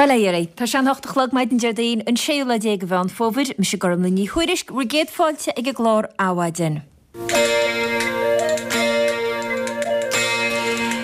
Bail ó Dhia oraibh. Tá sé an 8 a chlog maidin Déardaoin, an séú lá déag de Mheán Fómhair. Mise Gormlaith Ní Thuairisg, bhur gcéad fáilte ag an gclár Adhmhaidin.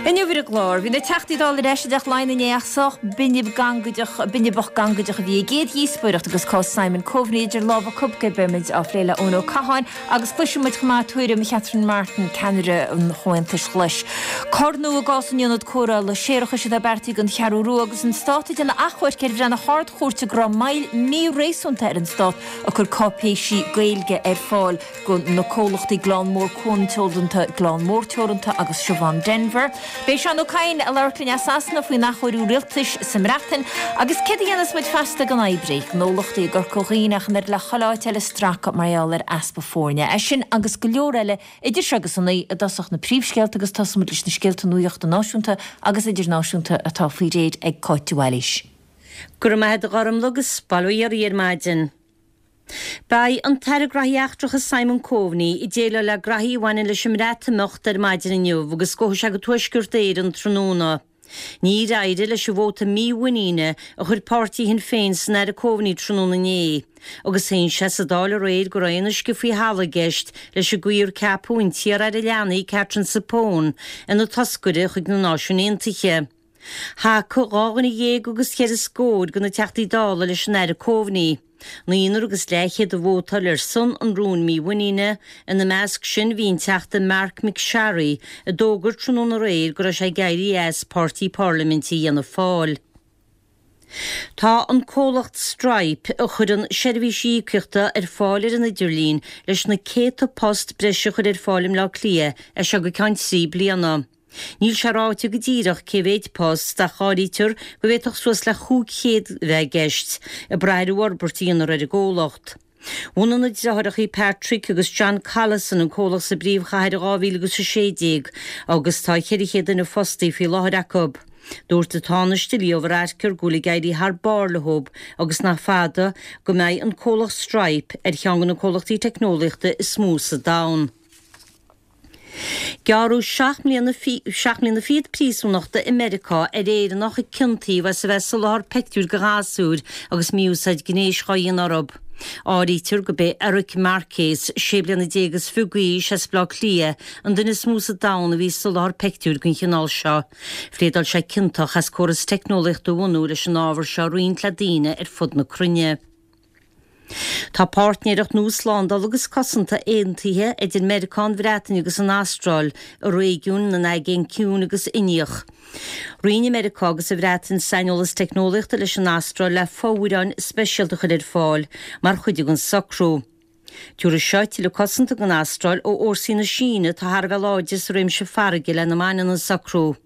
Inniu ar an gclár, bhí na Teachtaí Dála ar ais i dTeach Laighean inné ach sách binib gangaideach, binibeach gangaideach a bhí a gcéad dhíospóireacht agus cás Simon Coveney idir lámha acu. Beimid á phlé le Eoin Ó Catháin agus cloisfidh muid chomh maith tuairim Catherine Martin, ceannaire an Chomhaontais Ghlais. Cor nua i gcás an ionad cóireála séarachais atá beartaithe don Cheathrú Rua agus an Stát ag déanamh achomhairc ar bhreith na hArd-Chúirte go raibh moill mhí-réasúnta ar an Stát ag cur cáipéisí Gaeilge ar fáil do na comhlachtaí Gleann Mór Cuan Teoranta, Gleann Mór Teoranta agus Siobhán Denvir. Beidh Seán Ó Cadhain ag labhairt linn as Sasana faoin athchóiriú rialtais sa mBreatain agus céard a dhéanfas muid feasta gan oibrí, gnólachtaí i gCorca Dhuibhne ach an oiread le chuile áit eile ag stracadh mar gheall ar easpa foirne. É sin agus go leor eile idir seo agus a 9 i dtosach na príomhscéalta agus tosóidh muid leis na scéalta nuachta náisiúnta agus idirnáisiúnta atá faoi réir ag Cáit de Bhailís. Go raibh maith agat a Ghormlaith agus bail ó Dhia oraibh ar maidin. Beidh an tAire Graithí Eachtracha Simon Coveney ag déileáil le graithí a bhaineann leis an mBreatimeacht ar maidin inniu agus gabhfaidh sé go Tuaisceart Éireann tráthnóna. Níor éirigh leis an vóta mímhuiníne a chuir páirtí Shinn Féin san Aire Coveney tráthnóna inné agus shéan sé sa Dáil aréir go raibh aon uisce faoi thalamh i gceist leis an gcaoi ar ceapadh an t-iar-aire leanaí Katherine Zappone ina toscaire chuig na Náisiúin Aontaithe. Thacaigh 12 dhuine agus cheithre scór de na Teachtaí Dála leis an Aire Coveney. Naonúr agus leathchéad a vótáil ar son an rúin mímhuiníne, ina measc sin bhí an Teachta Marc MacSharry, a d'fhógair tráthnóna aréir go raibh sé ag éirí as páirtí parlaiminte Fhianna Fáil. Tá an comhlacht Stripe, a chuireann seirbhísí íocaíochta ar fáil ar an idirlíon, leis na céadta post breise a chur ar fáil i mBleá Cliath as seo go ceann 3 bliana. Níl sé ráite go díreach cé mhéid post, ach áirítear go bhféadfadh suas le 500 a bheith i gceist, ag brath ar an bhforbairt a dhéanfar ar an gcomhlacht. Bhunaigh na deartháireacha Patrick agus John Collison an comhlacht sa bpríomhchathair in 2016 agus tá 400 duine fostaithe faoi láthair acu. Dúirt an Tánaiste Leo Varadkar go bhfuil ag éirí thar barr leo agus nach fada go mbeidh an comhlacht Stripe ar cheann de na comhlachtaí teicneolaíochta is mó sa domhan. Gearradh 7 mbliana fichead príosúnachta i Meiriceá ar Éireannach a ciontaíodh as a bheith ag soláthar peictiúir do ghasúir agus mí-úsáid gnéis dhá dhéanamh orthu. Áirítear gurb é Eric Marcus, 16 bliana is fiche d'aois as Baile Átha Cliath, an duine is mó sa domhan a bhí ag soláthar peictiúir den chineál seo. Phléadáil sé ciontach as córas teicneolaíochta a bhunú leis an ábhar seo a roinnt le daoine ar fud na cruinne. Tá páirtnéireacht nua slándála agus cosanta aontaithe idir Meiriceá, an Bhreatain agus an Astráil i réigiún na nAigéan Ciúin agus Indiach. Roinnfidh Meiriceá agus an Bhreatain saineolas teicneolaíochta leis an Astráil le fomhuireáin speisialta a chur ar fáil mar chuid den socrú. Tabharfaidh seo tuilleadh cosanta don Astráil ó fhórsaí na Síne atá thar a bheith láidir sa réimse farraige lena mbaineann an socrú.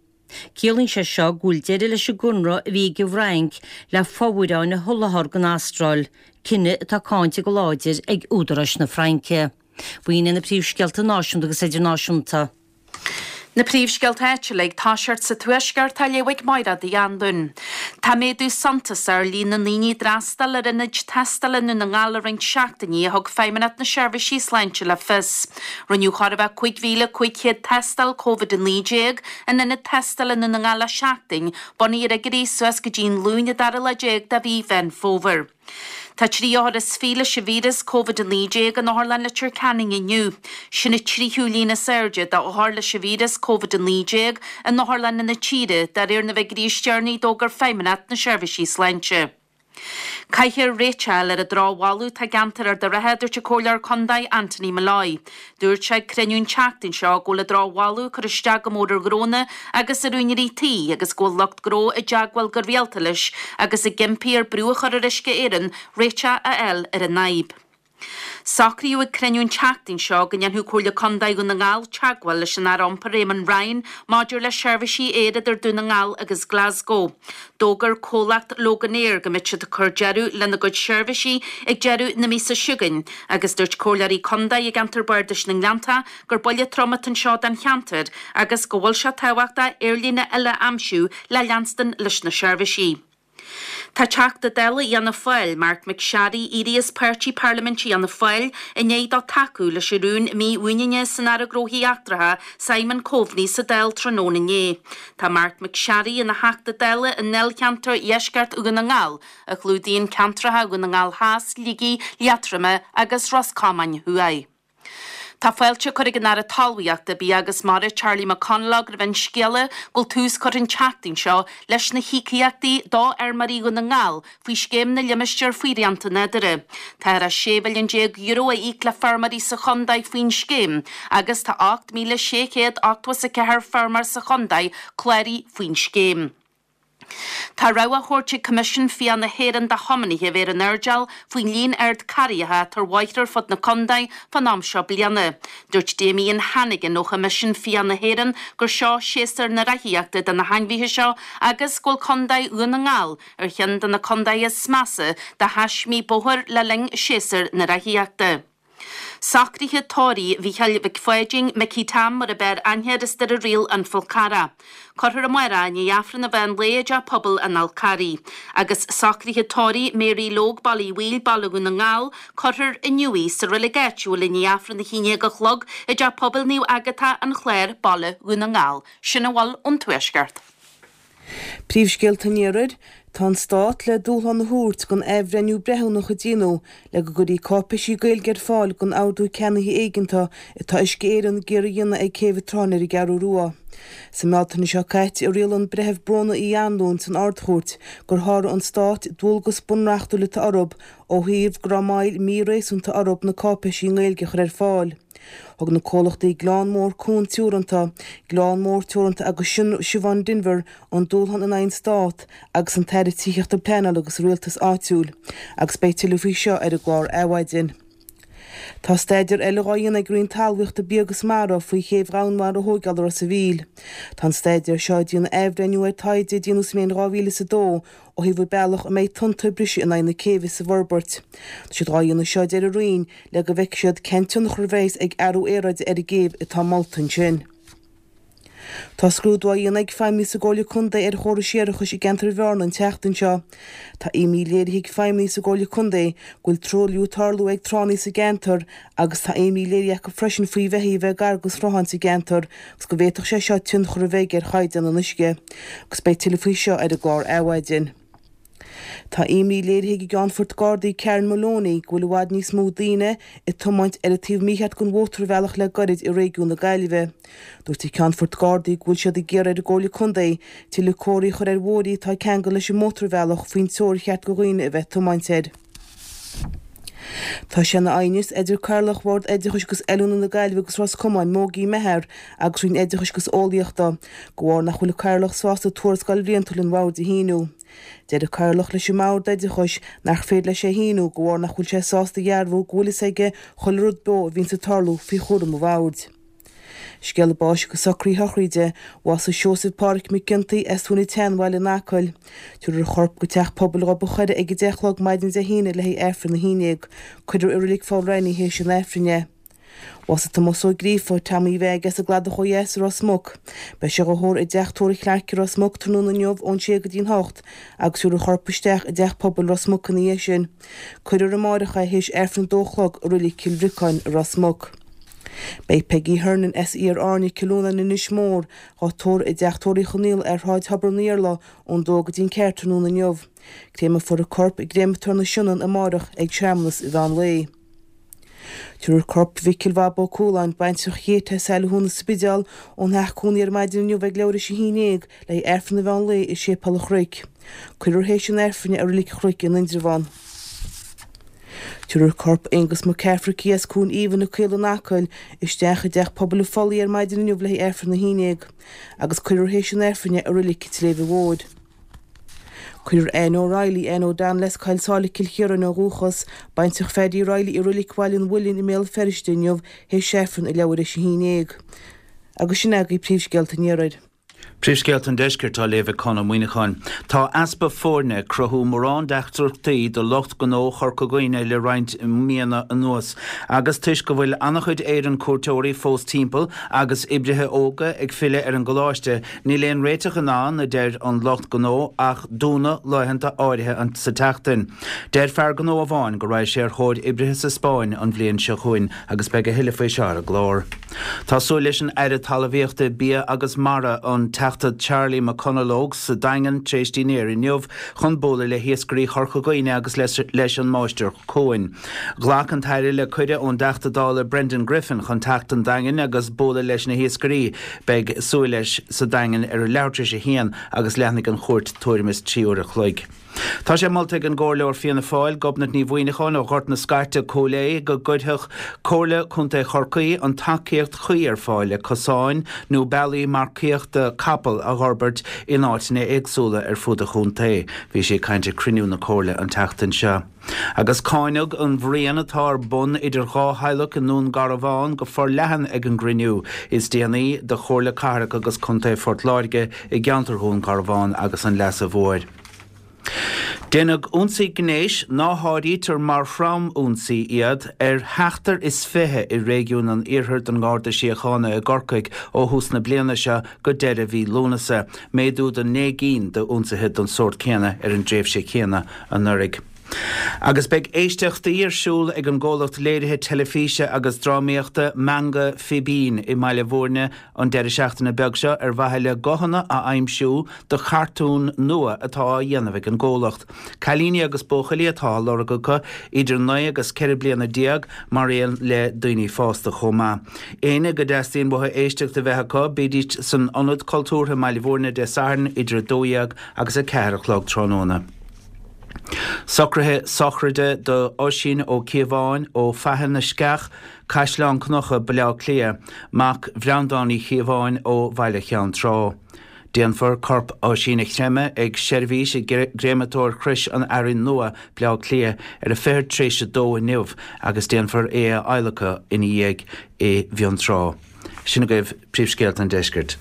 Ciallaíonn sé seo go bhfuil deireadh leis an gconradh a bhí ag an bhFrainc le fomhuireáin a sholáthar don Astráil, cinneadh atá cáinte go láidir ag údaráis na Fraince. B'in iad na príomhscéalta náisiúnta agus idirnáisiúnta. Na príomhscéalta áitiúla ag toiseacht sa Tuaisceart á léamh ag Máire Uí Anluain. Tá méadú suntasach ar líon na ndaoine a d'fhreastail ar ionaid tástála i nDún na nGall le roinnt seachtainí, a thug Feidhmeannacht na Seirbhísí Sláinte le fios. Rinneadh chóir a bheith 5,500 tástáil Covid-19 in ionad tástála i nDún na nGall le seachtain, bunaithe ar fhigiúirí suas go dtí an Luan an dara lá déag de mhí Mheán Fómhair. Tá 3 othar is 20 leis an víreas Covid-19 in Otharlann Leitir Ceanainn inniu. Sin an tríú líon is airde d'othair leis an víreas Covid-19 in otharlanna na tíre, de réir na bhfigiúirí is deireanaí a d'fhógair Feidhmeannacht na Seirbhísí Sláinte. Caithfear réiteach a fháil ar an drochbholadh atá i gceantar Ard an Rátha, a dúirt an Comhairleoir Contae Anthony Molloy. Dúirt sé ag cruinniú an tseachtain seo go bhfuil an drochbholadh ag cur isteach go mór ar ghnónna agus ar úinéirí tí agus go bhfuil lucht gnó i dteagmháil go rialta leis agus ag impí air brú a chur ar Uisce Éireann réiteach a fháil ar an fhadhb. Socraíodh ag cruinniú an tseachtain seo go ndéanfadh Comhairle Contae Dhún na nGall teagmháil leis an Aire Iompair Eamon Ryan maidir le seirbhísí aeir idir Dún na nGall agus Glasgow. D'fhógair comhlacht Loganair go mbeidh siad ag cur deireadh lena gcuid seirbhísí ag deireadh na míosa seo chugainn agus dúirt comhairleoirí contae i gceantar Bardais na nGleannta gur buille trom atá anseo don cheantar agus go bhfuil sé tábhachtach aerlíne eile a aimsiú le leanstan leis na seirbhísí. Tá Teachta Dála Fhianna Fáil, Marc MacSharry, éirithe as páirtí parlaiminte Fhianna Fáil i ndiaidh dó tacú leis an rún mímhuiníne san Aire Gnóthaí Eachtracha, Simon Coveney sa Dáil tráthnóna inné. Tá Marc MacSharry ina Theachta Dála i ndáilcheantar Dheisceart Dhún na nGall, a chlúdaíonn ceantracha Dhún na nGall Theas, Shligigh, Liatroma agus Ros Comáin Thuaidh. Tá fáilte curtha ag an Aire Talmhaíochta, Bia agus Mara, Charlie McConalogue roimh an scéala go bhfuil tús curtha an tseachtain seo leis na híocaíochtaí do fheirmeoirí Dhún na nGall faoi Scéim na Limistéar faoi Shrianta Nádúrtha. Táthar le €16 mhilliún a íoc le feirmeoirí sa chontae faoin scéim agus tá 8,684 feirmeoir sa chontae cláraithe faoin scéim. Tá rabhadh á thabhairt ag Coimisiún Fiach na hÉireann do thiománaithe a bheith ar an airdeall faoin líon ard carraigheacha atá ar bhóithre ar fud na contae fán am seo bliana. Dúirt Damien Hannigan ó Choimisiún Fiach na hÉireann gur seo séasúr na reathaíochta do na hainmhithe seo agus go bhfuil Contae Dhún na nGall ar cheann de na contaetha is measa do thaismí bóthair le linn séasúr na reathaíochta. Socruithe tórraimh Mhícheáil Mhic Pháidín, Micí Tom mar a b'fhearr aithne air as Doire Riail An Fál Carrach. Cuirfear amárach i ndiaidh Aifreann an mheán lae i dTeach Pobail an Fháil Carraigh. Agus socruithe tórraimh Mary Logue, Baile Uí Bhaoill, Baile Dhún na nGall, cuirfear inniu í sa reilig áitiúil i ndiaidh Aifreann a haon déag a chlog i dTeach Pobail Naomh Agatha, An Clár, Baile Dhún na nGall. Sin a bhfuil ón Tuaisceart. Príomhscéalta an Iarthair, Tá an Stát le dúshlán a thabhairt don athbhreithniú breithiúnach a déanadh le go gcuirfí cáipéisí Gaeilge ar fáil don ordú ceannaithe éigeantach atá Uisce Éireann ag iarraidh a dhéanamh ag Céibh an tSrutháin ar an gCeathrú Rua. Sa mBealtaine seo caite a rialaigh an Breitheamh Bróna Uí Anluain san Ard-Chúirt gur sháraigh an Stát dualgas bunreachtúil atá orthu ó thaobh go raibh moill mhí-réasúnta orthu na cáipéisí i nGaeilge a chur ar fáil. Thug na comhlachtaí Gleann Mór Cuan Teoranta, Gleann Mór Teoranta agus Siobhán Denvir an dúshlán in aghaidh an Stát agus an tAire Tithíochta Pleanála agus Rialtais Áitiúil agus beidh tuilleadh faoi seo ar an gclár Adhmhaidin. Tá staidéar eile dhá dhéanamh ag Roinn Talmhaíochta Bia agus Mara faoi chéibh dhomhainmhara a thóigeáil i Ros a' Mhíl. Tá an staidéar seo ag déanamh athbhreithniú ar taighde a déanadh sa mbliain 2002 ó thaobh an bealach a mbeidh tonnta ag briseadh in aghaidh na céibhe sa bhforbairt. Tá siad dhá dhéanamh seo a deir an Roinn le go bhfeicfidh siad cén tionchar a bheas ag athrú aeráide ar an gcéibh atá molta ansin. Tá scrúdú á dhéanamh ag feidhmeannaigh sa gComhairle Contae ar chórais séarachais i gceantar Bhearna an tseachtain seo. Tá imní léirithe ag feidhmeannaigh sa gComhairle Contae go bhfuil truailliú ag tarlú ag tránna sa gceantar agus tá imní léirithe acu freisin faoi bheithígh a bheith gar do shrutháin sa gceantar agus go bhféadfadh sé seo tionchar a bheidh ar chaighdeán an uisce. Agus beidh tuilleadh faoi seo ar an gclár Adhmhaidin. Tá imní léirithe ag an gCeannfort Gardaí Karen Moloney go bhfuil i bhfad níos mó daoine ag tiomáint ar an taobh mícheart den mhótarbhealach le gairid i réigiún na Gaillimhe. Dúirt an Ceannfort Gardaí go bhfuil siad ag iarraidh ar an gComhairle Contae tuilleadh comharthaí a chur ar bhóithrí atá ag ceangal leis an mótarbhealach faoin treo ar cheart do dhaoine a bheith ag tiomáint air. Tá sé ina aighneas idir Cathaoirleach Bhord Oideachais agus Oiliúna na Gaillimhe agus Ros Comáin, Mogie Meagher, agus Roinn Oideachais agus Eolaíochta, de bharr nach bhfuil an Cathaoirleach sásta tuarascáil bhliantúil an Bhoird a shíniú. Deir an Cathaoirleach leis an mBord Oideachais nach féidir leis é a shíniú de bharr nach bhfuil sé sásta a dhearbhú go bhfuil fhios aige chuile rud beo a bhíonns ag tarlú faoi chúram an Bhoird. Scéala báis agus socruithe sochraide, Bhásaigh Seosamh Pádhraic Mac Ciontaigh as Tóin an tSeanbhaile in Acaill. Tabharfar a chorp go Teach Pobail Ghob an Choire ag 10 a chlog maidin Dé hAoine le haghaidh Aifreann a haon déag. Cuirfear i Reilig Pholl Raithní théis an Aifrinn é. Bhásaigh Tomás Ó Gríofa, Tommy Mheaig as an gCladach ó dheas i Ros Muc. Beidh sé dhá thórramh i dTeach Tórraimh Chlarke i Ros Muc tráthnóna inniu ón sé go dtí'n hocht agus tabharfar a chorp isteach i dTeach Pobail Ros Muc ina dhiaidh sin. Cuirfear amáireach é théis Aifreann a dó a chlog i Reilig Chill Bhriocáin i Ros Muc. Beidh Peggy Hernon as Iar Airne, Cill Fhionáin, Inis Mór, dhá tórramh i dTeach Tórraimh Uí Chonaola ar Shráid Thobar an Iarla ón dó go dtí'n ceathair tráthnóna inniu. Créamfar a corp i gcréamatóir na Sionainne amárach ag searmanas an mheán lae. Tabharfar corp Mhicil Bhab Ó Cualáin, baintreach Chéit as Saile Chuan an Spidéal, ón theach cónaí ar maidin inniu ag leathuair théis a haon dhéag le haghaidh Aifreann an mheán lae i Séipéal an Chnoic. Cuirfear théis an Aifrinn é i Reilig an Chnoic in Indreabhán. Tabharfar corp Aonghus McCafferty as Cluain Aoibhinn, na Caola in Acaill, isteach i dTeach Pobail an Phollaigh ar maidin inniu le haghaidh Aifreann a haon dhéag, agus cuirfear théis an Aifrinn é i Reilig an tSléibhe Mhóir. Cuirfear Anne O'Reilly, Anne O'Donnell as Coill Sáile, Cill Chiaráin ó dhúchas, baintreach Phaddy Reilly i Reilig Bhaile an Mhuilinn i mBéal Feirste inniu théis Aifreann ag leathuair théis a haon dhéag. Agus sin agaibh príomhscéalta an Iarthair. Príomhscéalta an Deiscirt á léamh ag Conn Ó Muíneacháin. Tá easpa foirne ag cruthú mórán deacrachtaí do lucht gnó Chorca Dhuibhne le roinnt míonna anuas agus toisc go bhfuil an-chuid Éireann cuairteoirí fós timpeall agus oibrithe óga ag filleadh ar an gcoláiste, níl aon réiteach in ann, a deir an lucht gnó, ach dúnadh laethanta áirithe sa tseachtain. Deir fear gnó amháin go raghaidh sé ar thóir oibrithe sa Spáinn an bhliain seo chugainn agus beidh a thuilleadh faoi seo ar an gclár. Tá súil leis an Aire Talmhaíochta, Bia agus Mara, an Teachta Charlie McConalogue, sa Daingean tar éis dinnéir inniu chun bualadh le hiascairí Chorca Dhuibhne agus leis an Máistir Cuain. Ghlac an tAire le cuireadh ón dTeachta Dála Brendan Griffin chun teacht don Daingean agus bualadh leis na hiascairí. Beidh súil leis sa Daingean ar a leathuair tar éis a haon agus leanfaidh an chuairt tuairim is 3 uair a chloig. Tá sé molta ag an gComhairleoir Fianna Fáil, Gobnait Ní Mhuimhneacháin ó Ghort na Scairte, Cúil Aodha, go gcuirfeadh Comhairle Contae Chorcaí an tacaíocht chuí ar fáil le cosáin nó bealaí marcaíochta capall a dh'fhorbairt in áiteanna éagsúla ar fud an chontae. Bhí sí ag caint ag cruinniú na Comhairle an tseachtain seo. Agus cáineadh an bhruíon atá ar bun idir dhá theaghlach i nDún Garbhán go forleathan ag an gcruinniú is déanaí de Chomhairle Cathrach agus Contae Phort Láirge i gceantar Dhún Garbhán agus an Leasa Mhóir. Déanadh ionsaí gnéis, ná háirítear mar throm-ionsaí iad, ar sheachtar is 20 i réigiún an Iarthair don nGarda Síochána i gCorcaigh ó thús na bliana seo go deireadh mhí Lúnasa, méadú de naoi gcinn d'ionsaithe den sórt céanna ar an dtréimhse chéanna anuraidh. Agus beidh éisteachtaí ar siúl ag an gcomhlacht léirithe teilifíse agus drámaíochta Meangadh Fibín i mBaile Bhúirne an deireadh seachtaine beag seo ar mhaithe le guthanna a aimsiú do chartún nua atá á dhéanamh ag an gcomhlacht. Cailíní agus buachaillí atá á lorg acu, idir 9 agus 14 bliana, mar aon le daoine fásta chomh maith. Éinne go dteastaíonn uathu éisteacht a bheith acu, bídís san Ionad Cultúrtha i mBaile Bhúirne Dé Sathairn idir 12 agus 4 a chlog tráthnóna. Socruithe sochraide do Oisín Ó Cíobháin ó Faiche na Sceach, Caisleán Cnucha, Baile Átha Cliath, mac Bhreandáin Uí Chíobháin ó Bhaile Cheann Trá. Déanfar corp Oisín a chreimeadh ag seirbhís i gCréamatóir Chrois an Fhearainn Nua, Baile Átha Cliath, ar a fichead tar éis a dó inniu agus déanfar é a adhlacadh ina dhiaidh i bhFionntrá. Sin agaibh príomhscéalta an deiscirt.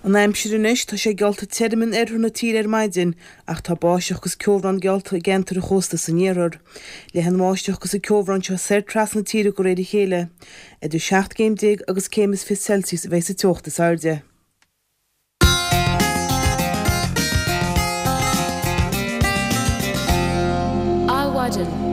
An aimsir anois, tá sé geallta tirim in oirthear na tíre ar maidin ach tá báisteach agus ceobhrán geallta i gceantair an chósta san iarthar. Leathfaidh an bháisteach agus an ceobhrán seo soir trasna na tíre de réir a chéile. Idir 17 gcéim agus céim is 20 Celsius a bheidh sa teocht is airde. Adhmhaidin.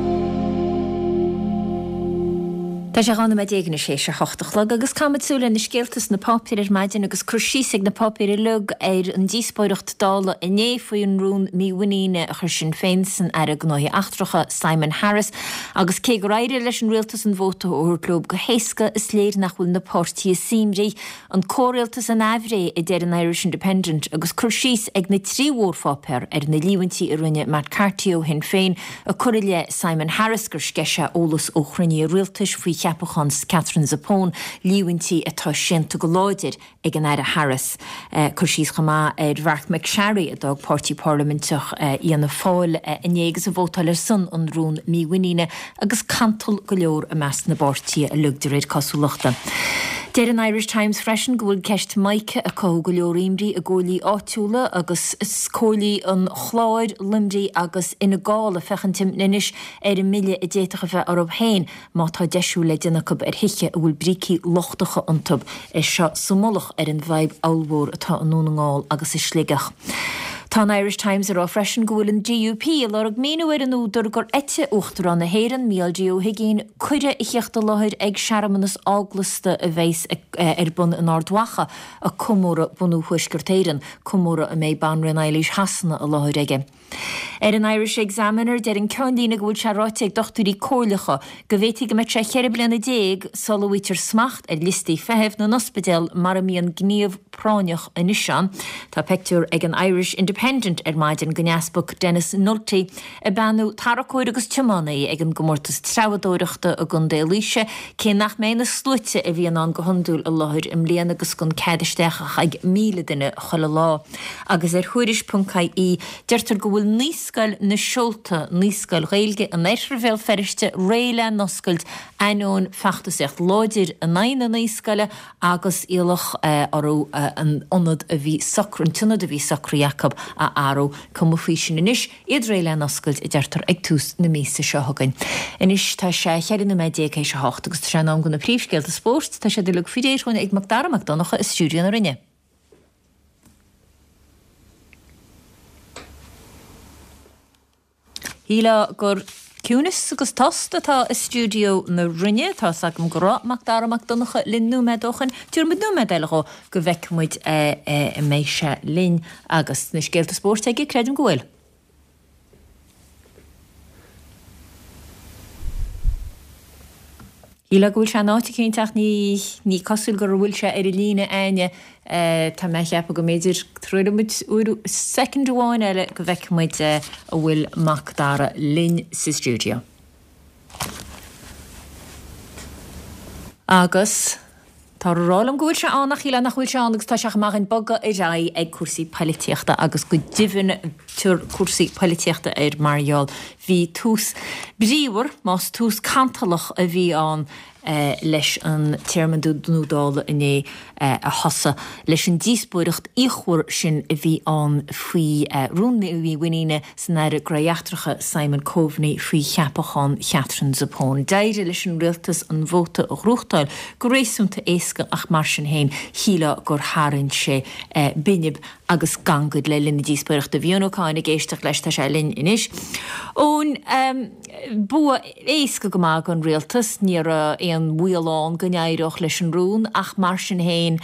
Tá sé 12 nóiméad anois théis a hocht a chlog agus caithfimid súil ar na scéalta sna páipéir ar maidin agus cur síos ag na páipéir uilig ar an díospóireacht Dála inné faoi an rún mímhuiníne a chuir Sinn Féin san Aire Gnóthaí Eachtracha Simon Harris agus cé gur éirigh leis an rialtas an vóta a thabhairt leo go héasca is léir nach bhfuil na páirtithe suaimhneach An comhrialtas in aimhréidh, a deir an Irish Independent, agus cur síos ag na trí mhórpháipéar ar na líomhaintí a rinne Matt Carthy ó Shinn Féin ag cur i leith Simon Harris gur sceith sé eolas ó chruinnithe rialtais faoi cheapachán Katherine Zappone, líomhaintí atá séanta go láidir ag an Aire Harris. Cur síos chomh maith ar Mharc MacSharry a d'fhág páirtí parlaiminteach Fhianna Fáil inné agus a vótáil ar son an rún mímhuiníne agus cantal go leor i measc na bpáirtithe uilig de réir cosúlachta. Deir an Irish Times freisin go bhfuil ceist Mica ag cothú go leor imní i gcomhairlí áitiúla agus comhairlí an Chláir, Luimnigh agus Fhine Gall ag féachaint anois ar an mbille a d'fhéadfadh a bheith orthu féin má tá deisiú le déanamh acu ar thithe a bhfuil brící lochtacha iontu. É seo sa mullach ar an bhfadhb ollmhór atá i nDún na nGall agus i Sligeach. Tá an Irish Times ag rá freisin go bhfuil an DUP ag lorg míniú ar an údar gur eitigh Uachtarán na hÉireann, Mícheál D Ó hUigínn, cuireadh a theacht i láthair ag searmanas eaglasta a bheas ar bun in Ard Mhacha ag comóradh bunú Thuaisceart Éireann, comóradh a mbeidh Banríon Eilís Shasana i láthair aige. Ar an Irish Examiner, deir an ceannlíne go bhfuil sé ráite ag dochtúirí comhairleacha go bhféadfaidh go mbeadh sé cheithre bliana sula bhfaightear smacht ar liostaí feithimh na n-ospidéal mar a mbíonn gníomh práinneach anois ann. Tá peictiúr ag an Irish Independent ar maidin den Easpag Denis Nulty ag beannú tarracóir agus tiománaí ag an gcomórtas treabhadóireachta i gContae Laoise, cé nach mbeidh na sluaite a bhíonn ann go hiondúil i láthair i mbliana agus gan cead isteach ach ag 1,000 duine chuile lá. Agus ar Thuairisc.ie deirtear go bhfuil 9. Naíscoil na Seolta, naíscoil Ghaeilge in oirthear Bhéal Feirste, réidh le n-oscailt ainneoin feachtasaíocht láidir in aghaidh na naíscoile agus iallach orthu an ionad a bhí socr, an t-ionad a bhí socraithe acu a athrú. Cuma faoi sin anois, iad réidh le n-oscailt, a deirtear, ag tús na míosa seo chugainn. Anois tá sé 14 nóiméad théis a hocht agus tá sé in am do na príomhscéalta spóirt. Tá siad uilig faoi réir dhúinn ag Macdara Mac Donncha i stiúideo na Rinne. Shílfeá gur ciúnas agus tost atá i stiúideo na Rinne. Tá's agam go raibh Macdara Mac Donncha linn nóiméad ó shoin. Tabharfaidh muid nóiméad eile dhó go bhfeicfidh muid an mbeidh sé linn agus na scéalta spóirt aige, creidim go bhfuil. Shílfeá go bhfuil sé in áit eicínt ach ní ní cosúil go bhfuil sé ar an líne a'inne. Tá mé a cheapadh go mb'fhéidir troillfidh muid uair soicind amháin eile go bhfeicfidh muid an bhfuil Mac Dara linn sa stiúideo. Agus. Táthar a rá liom go bhfuil sé ann ach shílfeá nach bhfuil sé ann agus tá sé chomh maith againn bogadh ar aghaidh ag cúrsaí poilitíochta agus go deimhin tabhair cúrsaí poilitíochta air mar gheall bhí tús bríomhar, más tús cantalach a bhí ann, leis an téarma nua Dála inné a thosaigh leis an díospóireacht fhíochmhar sin a bhí ann faoi rún mímhuiníne san Aire Gnóthaí Eachtracha Simon Coveney faoi cheapachán Chatherine Zappone. D'éirigh leis an rialtas an vóta a ghnóthachtáil go réasúnta éasca ach mar sin féin shílfeá gur tharraing sé binib agus gangaid le linn na díospóireachta. Bhí Eoin Ó Cadhain ag éisteacht leis, tá sé linn anois. Eoin, bua éasca go maith don rialtas, ní raibh aon bhaol ann go n-éireodh leis an rún ach mar sin féin,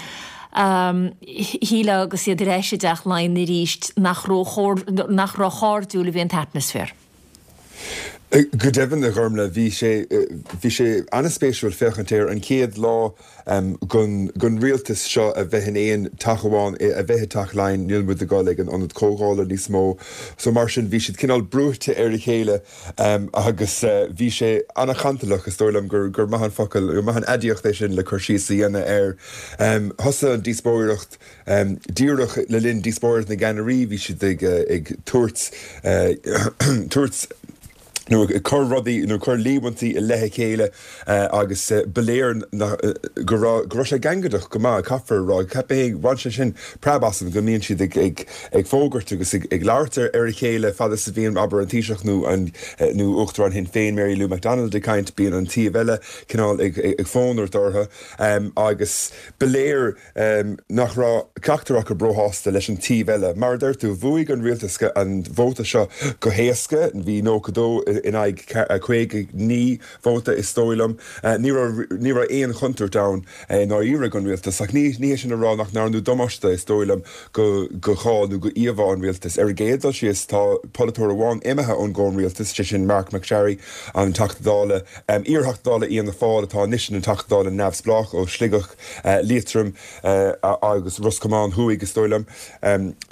shílfeá agus iad ar ais i dTeach Laighean arís nach nach róchairdiúil a bhí an t-atmaisféar. Go deimhin, a Ghormlaith, bhí sé bhí sé an-spéisiúil féachaint air an chéad lá den rialtas seo a bheith in aon teach amháin, a bheith i dTeach Laighean, níl muid ag dul ag an Ionad Comhdhála níos mó. So mar sin bhí siad cineál brúite ar a chéile agus bhí sé an-chantalach, is dóigh liom gur gur maith an focal, gur maith an aidiacht é sin le cur síos a dhéanamh air. Thosaigh an díospóireacht díreach le linn díospóireacht na gceannairí, bhí siad ag ag tabhairt tabhairt nó ag cur rudaí nó ag cur líomhaintí i leith a chéile agus ba léir go raibh go raibh sé gangaideach go maith, caithfear a rá. Cheap mé, bhain sé sin preab asam go mbíonn siad ag ag ag fógairt agus ag ag labhairt ar ar a chéile fad is a bhíonn, abair, an Taoiseach nó an nó Uachtarán Shinn Féin, Mary Lou McDonald ag caint, bíonn an taobh eile cineál ag ag fónairt orthu agus ba léir nach raibh ceachtar acu róshásta leis an taobh eile. Mar a deir tú, bhuaigh an rialtas an vóta seo go héasca, bhí 92 in aghaidh 59 vóta is dóigh liom. Ní raibh ní raibh aon chontúirt ann i ndáiríre don rialtas ach ní ní hé sin a rá nach ndearnadh damáiste is dóigh liom go go cháil nó go íomhá an rialtais. Ar an gcéad dul síos tá polaiteoir amháin imithe ón gcomhrialtas, sé sin Marc MacSharry, an Teachta Dála, iar-Theachta Dála Fhianna Fáil atá anois ina Teachta Dála neamhspleách ó Shligeach. Liatroim agus Ros Comáin Thuaidh, is dóigh liom.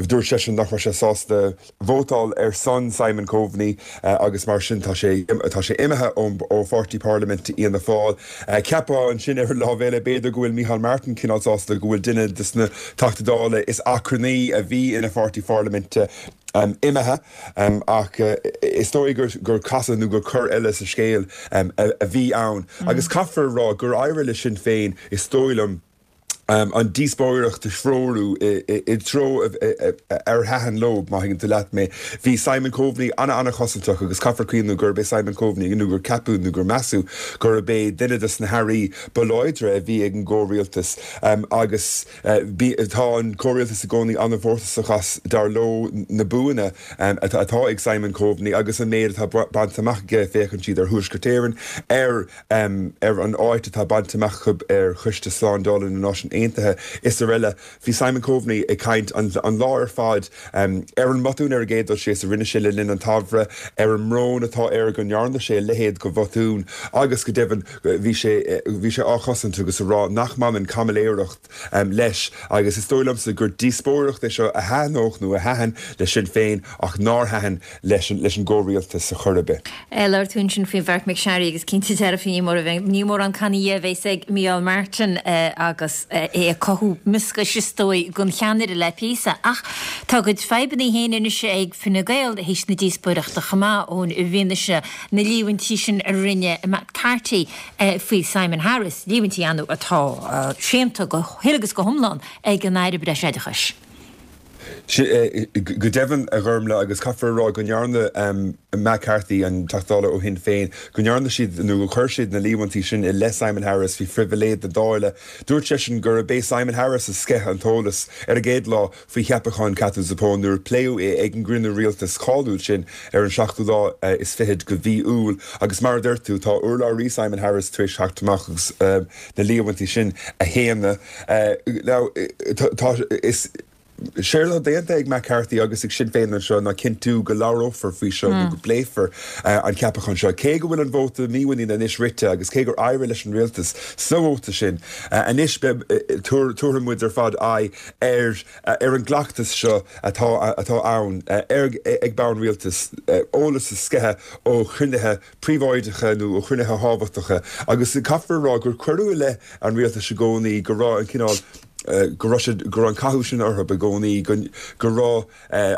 Dúirt seisean nach raibh sé sásta vótáil ar son Simon Coveney agus mar sin tá sé tá sé imithe ó pháirtí parlaiminte Fhianna Fáil. Cheapfá ansin ar an lámh eile b'fhéidir go bhfuil Micheál Martin cineál sásta go bhfuil duine de na Teachtaí Dála is achrannaí a bhí ina pháirtí pharlaiminte imithe ach is dóigh gur casadh nó gur cor eile sa scéal a bhí ann. Agus caithfear a rá gur éirigh le Sinn Féin, is dóigh liom, an díospóireacht a threorú i dtreo ar thaitin leo, má thuigeann tú leat mé. Bhí Simon Coveney ana-ana-chosantach agus caithfear cuimhniú gurb é Simon Coveney, nó gur ceapadh nó gur measadh gurb é duine de na hairí ba láidre a bhí ag an gcomhrialtas agus Tá an comhrialtas i gcónaí an-mhórtasach as, dar leo, na buanna atá ag Simon Coveney agus an méid atá bainte amach aige, féachann siad ar Thuaisceart Éireann, ar ar an áit atá bainte amach acu ar Choiste Slándála na Náisiún Aontaithe is araile. Bhí Simon Coveney ag caint an lá ar fad ar an mbotún ar an gcéad dul síos a rinne sé le linn an tsamhraidh, ar an mbrón atá air go ndearna sé a leithéid de bhotún agus go deimhin bhí sé bhí sé á chosaint agus a rá nach mbaineann caimiléireacht leis agus is dóigh liomsa gur díospóireacht é seo a thaitneodh nó a thaitin le Sinn Féin ach nár thaitin leis an leis an gcomhrialtas ar chor ar bith. Labhair tú ansin faoi Mharc MacSharry agus cinnte dearfa ní mórán cannaí a bheas ag Micheál Martin agus é. É ag cothú mioscais is dóigh don cheannaire le píosa. Ach tá a gcuid fadhbanna féin anois ag Fine Gael théis na díospóireachta chomh maith, Eoin, i bhfianaise na líomhaintí sin a rinne Matt Carthy faoi Simon Harris, líomhaintí ar ndóigh atá séanta go huile agus go hiomlán ag an Aire Breisoideachais. Go deimhin, a Ghormlaith, agus caithfear a rá go ndearna Matt Carthy, an Teachta Dála ó Shinn Féin, go ndearna siad nó gur chuir siad na líomhaintí sin i leith Simon Harris faoi phribhléid na Dála. Dúirt seisean gurb é Simon Harris a sceith an t-eolas ar an gcéad lá faoi cheapachán Katherine Zappone nuair a pléadh é ag an gcruinniú rialtais cáiliúil sin ar an seachtú lá is fichead de mhí Iúil. Agus mar a deir tú, tá urlabhraí Simon Harris tar éis theacht amach agus na líomhaintí sin a shéanadh. Now, tá, is séard atá déanta ag Matt Carthy agus ag Sinn Féin anseo ná cinntiú go labhrófar faoi seo nó go bpléifear an ceapachán seo. Cé go bhfuil an vóta mímhuiníne anois rite agus cé gur éirigh leis an rialtas sa vóta sin, anois tabharfaidh muid ar fad aghaidh ar ar an gcleachtas seo atá atá ann ar ag bonn rialtais, eolas a sceitheadh ó chruinnithe príobháideacha nó ó chruinnithe thábhachtacha agus caithfear a rá gur cuireadh i leith an rialtais i gcónaí go raibh an cineál, go raibh siad, go raibh an cathú sin orthu i gcónaí, go, go raibh,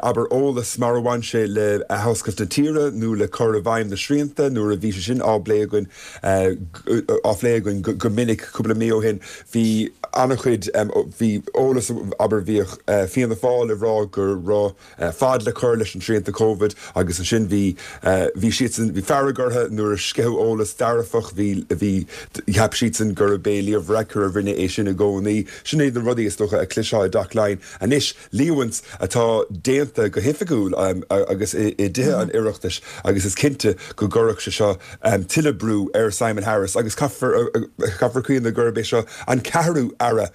abair, eolas mar a bhain sé le athoscailt na tíre nó le cur i bhfeidhm na srianta nuair a bhí sé sin á bplé againn, á phlé againn go minic cúpla mí ó shin, bhí an-chuid, bhí eolas, abair, bhíodh Fianna Fáil ag rá go raibh. fad le cur leis an srianta Covid agus ansin bhí, bhí siadsan, bhí fearg orthu nuair a sceitheadh eolas dearfach, bhí, bhí, cheap siadsan gurb é Leo Varadkar a rinne é sin i gcónaí. Sin iad na rudaí is dócha a chloisfeá i dTeach Laighean. Anois, líomhaint atá déanta go hoifigiúil agus i dTithe an Oireachtais agus is cinnte go gcuirfeadh sé seo tuilleadh brú ar Simon Harris agus caithfear, caithfear cuimhneamh gurb é seo an ceathrú aire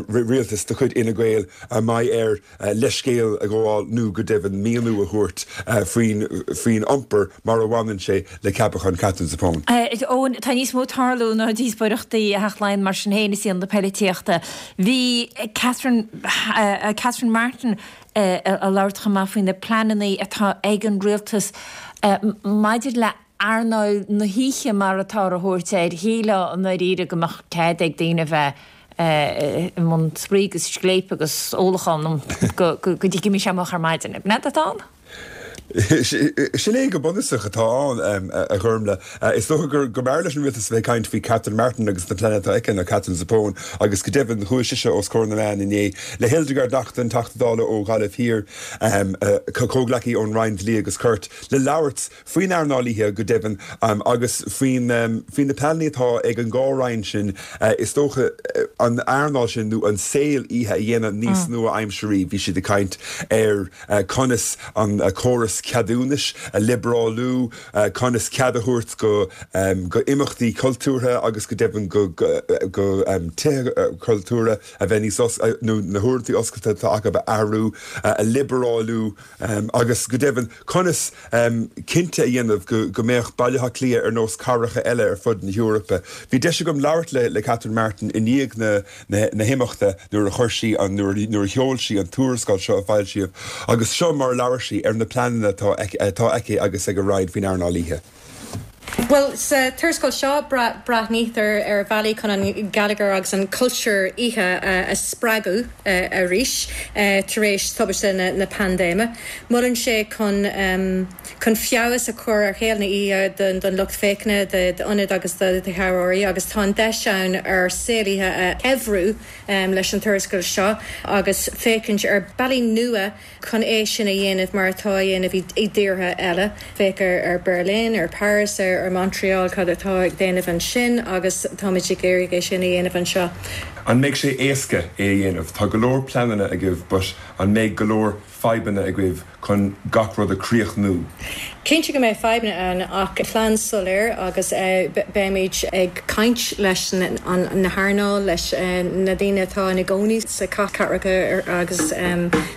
rialtais de chuid Fhine Gael a mbeidh air leithscéal a ghabháil nó go deimhin míniú a thabhairt faoin faoin iompar mar a bhaineann sé le ceapachán Katherine Zappone. Eoin, tá níos mó ag tarlú ná díospóireachtaí i dTeach Laighean mar sin féin i saol na poilitíochta. Bhí Catherine Catherine Martin ag labhairt chomh maith faoi na pleananna atá ag an rialtas maidir le earnáil na hoíche mar atáthar a thabhairt air, shílfeá i ndáiríre go mbeadh cead ag daoine a bheith i mbun spraoi agus scléip agus ólachán go dtí go mbíonn sé moch ar maidin. An ea atá ann? Sin é go bunúsach atá ann, a Ghormlaith. Is dócha go mb'fhearr leis an rialtas a bheith ag caint faoi Catherine Martin agus na pleananna atá aici ná Katherine Zappone agus go deimhin chuaigh sise os comhair na meán inné le Hildegarde Naughton, Teachta Dála ó Ghaillimh Thiar, comhghleacaí ón Roinn Dlí agus Cirt, le labhairt faoin earnáil oíche go deimhin agus faoi na pleananna atá ag an dhá roinn sin, is dócha, an earnáil sin nó an saol oíche a dhéanamh níos nua-aimsearaí. Bhí siad ag caint ar conas an córas ceadúnais a liobrálú, conas cead a thabhairt go imeachtaí cultúrtha agus go deimhin go tithe cultúrtha a bheith níos, nó na huaireanta oscailte atá acu a athrú, a liobrálú. Agus go deimhin, conas cinnte a dhéanamh go mbeadh Baile Átha Cliath ar nós cathracha eile ar fud na hEorpa? Bhí deis agam labhairt le Catherine Martin i ndiaidh na himeachta nuair a chuir sí an, nuair a sheol sí an tuarascáil seo a foilsíodh agus seo mar a labhair sí ar na pleananna atá aici agus ag a Roinn faoin earnáil oíche. Bhuel, sa tuarascáil seo, breathnaítear ar bhealaí chun an geilleagar agus an cultúr oíche a spreagadh arís tar éis tubaiste na paindéime. Molann sé chun chun feabhas a chur ar shaol na hoíche don lucht féachana, d'ionaid agus do thaibheoirí agus tá an deis ann ár saol oíche a shaibhriú leis an tuarascáil seo agus féachaint ar bealaí nua chun é sin a dhéanamh mar atá á dhéanamh i dtíortha eile. Féach ar Berlin, ar Paris, ar Montreal, cad atá ag déanamh ansin agus táimid ag iarraidh é sin a dhéanamh anseo. An mbeidh sé éasca é a dhéanamh? Tá go leor pleananna agaibh but an mbeidh go leor fadhbanna agaibh chun gach rud a chríochnú? Cinnte go mbeidh fadhbanna ann ach plean soiléir agus beimid ag caint leis na hearnáil, leis na daoine atá ina gcónaí sa cathracha agus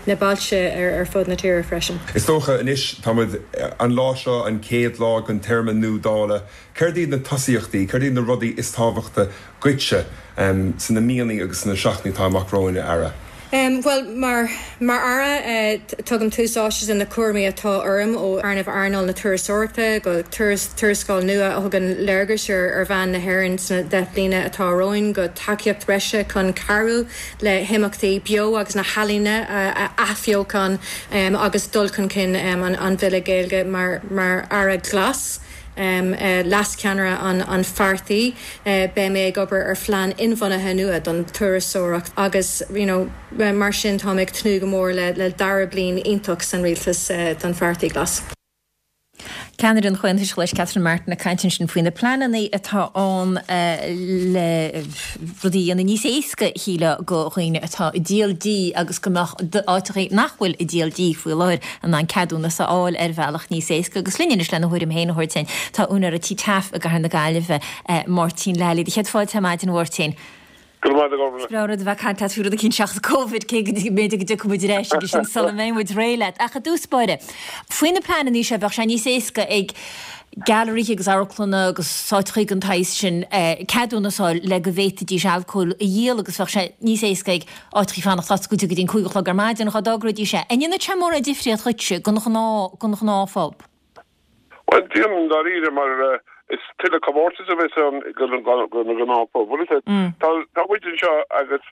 na bailte ar fud na tíre freisin. Is dócha anois, tá muid, an lá seo an chéad lá den téarma nua Dála, céard iad na tosaíochtaí, céard iad na rudaí is tábhachta dhuitse sna míonna agus sna seachtainí atá amach romhainn, a Aire? Bhuel, mar mar Aire, tugaim tús áite do na cúraimí atá orm, ó théarnamh earnáil na turasóireachta go tuarascáil nua a thugann léargas ar mheáin na hÉireann sna 10 bliana atá romhainn, go tacaíocht bhreise chun cabhrú le himeachtaí beo agus na healaíona a athbheochan agus dul chun cinn an Bhille Gaeilge mar mar Aire Glas. Leas-cheannaire an pháirtí, beidh mé ag obair ar phlean inbhuanaithe nua don turasóireacht agus you know mar sin táim ag tnúth go mór le dara bliain iontach san rialtas don Pháirtí Glas. Ceannaire an Chomhaontais Ghlais Catherine Martin ag caint ansin faoi na pleananna atá ann le rudaí a dhéanamh níos éasca, shílfeá, do dhaoine atá ag díol dí agus go mbeadh áiteachaí nach bhfuil ag díol dí faoi láthair in ann ceadúnas a fháil ar bhealach níos éasca. Agus linn anois lena thuairim féin a thabhairt dúinn, tá úinéir Tí Taaffe i gCathair na Gaillimhe, Máirtín Lally. Do chéad fáilte ar maidin, a Mháirtín. Go raibh maith agat, a Ghormfhlaith. Is breá an rud a bheith ag caint leat faoi rud eicínt seachas Covid, cé go mb'fhéidir go dtiocfaidh muid ar ais aige sin sula mbeidh muid réidh leat. Ach i dtús báire, faoi na pleananna seo, bheadh sé níos éasca ag gailearaithe agus amharclanna agus áiteachaí den tsaghas sin ceadúnas a fháil le go bhféadfaidís alcól a dhíol agus bheadh sé níos éasca ag áiteachaí fanacht oscailte go dtí an 5 a chlog ar maidin dhá dtogróidís é. An ndéanfadh sé mórán difríocht dhuitse don ghnáth, don ghnáthphub? Bhuel, déanann dáiríre mar is tuilleadh comórtais a bheas ann do na gnáthphub. Bhuel, is ea, tá muid anseo agus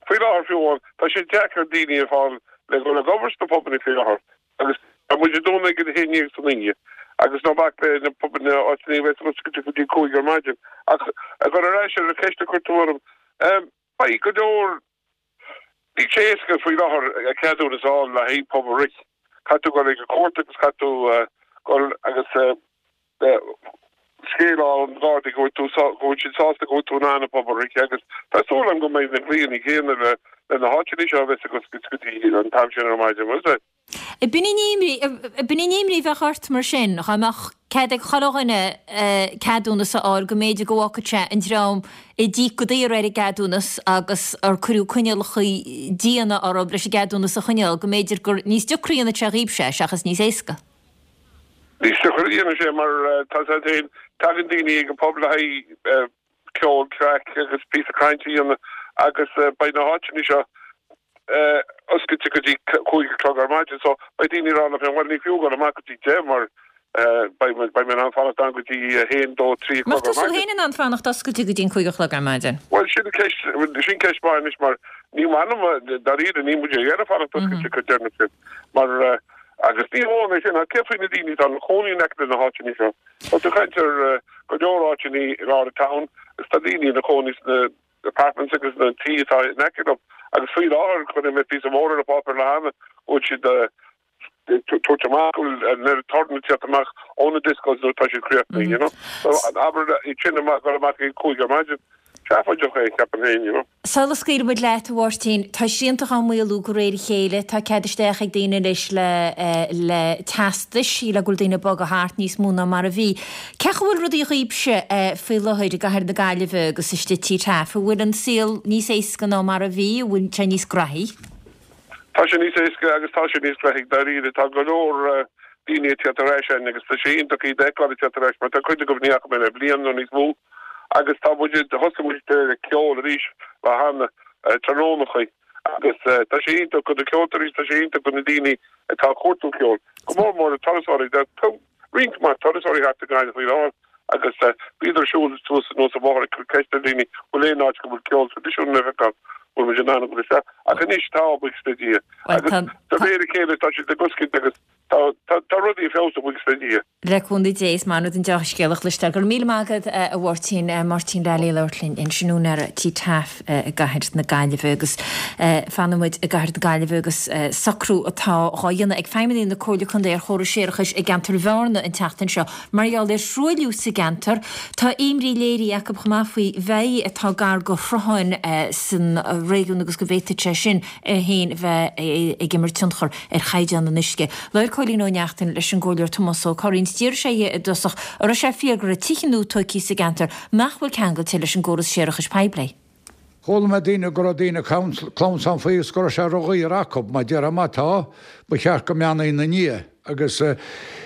faoi láthair fiú amháin, tá sé deacair daoine a fháil le dhul ag obair sna pubanna faoi láthair agus tá muid ag dúnadh ag a haon dhéag san oíche agus ná bac le na pubanna áiteanna a bheas oscailte go dtí 5 ar maidin. Ach a dhul ar ais ar an cheist a chuir tú orm, beidh go leor Níl sé éasca faoi láthair ceadúnas a fháil le haghaidh pub a rith. Caithfidh tú dul ag an chúirt agus caithfidh tú dul agus scéal a fháil ó na Gardaí go bhfuil tú go bhfuil siad sásta go bhfuil tú in ann an pub a rith agus tá súil agam go mbeidh na glaonna céanna le na háiteanna seo a bheas ag oscailt go dtí an t-am sin ar maidin. Bhfuil a fhios agat? B'in í an imní, b'in í an imní a bheadh ort mar sin, dhá mbeadh cead ag chuile dhuine ceadúnas a fháil, go mb'fhéidir go bhfágfadh sé an dream a d'íoc go daor ar an gceadúnas agus ar cuireadh coinníollacha diana orthu leis an gceadúnas a choinneáil, go mb'fhéidir gur níos deacra a dhéanfadh sé dhaoibhse é seachas níos éasca. Níos deacra a dhéanfaidh sé mar tá a fhios agat féin, tagann daoine ag an pub le haghaidh ceol, craic agus píosa cainte a dhéanamh agus beidh na háiteanna seo oscailte go dtí 5 a chlog ar maidin so beidh daoine ag rá leo féin bhuel ní fiú dul amach go dtí 10 mar beidh beidh mé in ann fanacht ann go dtí 1, 2, 3 a chlog ar maidin. Mbeadh tusa féin in ann fanacht oscailte go dtí an 5 a chlog ar maidin? Bhuel sin ceist sin ceist mhaith anois mar ní maith liom dáiríre níl muid ag iarraidh fanacht oscailte chomh deireanach sin mar agus ní hamháin é sin ach cé faoi na daoine atá ina chónaí in aice leis na háiteanna seo? Tá tú ag caint ar go leor áiteanna i lár an town agus tá daoine ina chónaí sna apartments agus na tithe atá in aice leo agus faoi láthair chonaic mé píosa mór ar an pháipéar le hana go bhfuil siad ag tabhairt amach go bhfuil an oiread torann ag teacht amach ó na discos nuair atá siad críochnaithe you know. So abair iad sin amach dul amach ag 5 ar maidin. Seafóideach é ceapaim féin you know. Sula scaoilfidh muid leat, a Mháirtín, tá srianta á maolú de réir a chéile, tá cead isteach ag daoine anois le le teastais, sílim go bhfuil daoine ag bogadh thart níos mó ná mar a bhí. Cén chaoi a bhfuil rudaí dhaoibhse faoi láthair i gCathair na Gaillimhe agus istigh i Tí Taaffe? An bhfuil an saol níos éasca ná mar a bhí? An bhfuil sé níos graithí? Tá sé níos éasca agus tá sé níos graithí, dáiríre. Tá go leor daoine ag teacht ar ais againn agus tá sé iontach iad a fheiceáil ag teacht ar ais mar tá cuid acu ní fhaca mé le bliain nó níos mó agus tá muid, thosaigh muid ag ceol arís le hana tráthnónachaí agus tá sé iontach do na ceoltóirí, tá sé iontach do na daoine atá ag cuartú ceoil, go mór mór na turasóirí. Tá roinnt mhaith turasóirí thart i nGaillimh faoi láthair agus bhíodar ag siúl suas anuas an bóthar ag cur ceist ar dhaoine bhfuil aon áit go bhfuil ceol traidisiúnta le feiceáil, bhfuil muid in ann a dhul isteach. Ach anois tá, buíochas le Dia. Agus de réir a chéile tá siad ag oscailt agus tá rudaí ag feabhsú, buíochas le Dia. Le cúnamh Dé, is maith an rud an deá-scéal a chloisteáil. Go raibh míle maith agat, a Mháirtín. Máirtín Lally ag labhairt linn ansin, úinéir Tí Taaffe i gCathair na Gaillimhe. Agus fanfaidh muid i gCathair na Gaillimhe agus socrú atá dhá dhéanamh ag feidhmeannaigh na Comhairle Contae ar chóras séarachais i gceantar Bhearna an tseachtain seo mar gheall ar thruailliú sa gceantar. Tá imní léirithe acu chomh maith faoi bheithígh atá gar do shrutháin san réigiún agus go bhféadfadh sé sin é féin bheith ag imirt tionchar ar chaighdeán an uisce. Labhair Cóilín Ó Neachtain leis an gComhairleoir Tomás Ó Curraoin. D'iarr sé dhe i dtosach an raibh sé fíor go raibh tithe nua tóigthe sa gceantar nach bhfuil ceangailte leis an gcóras séarachais poiblí. Chuala mé daoine go raibh daoine ag clamhsán faoi agus go raibh sé ro-dhaor acu. Mar déarfá má tá, ba cheart go mbeannaí ina ndiaidh agus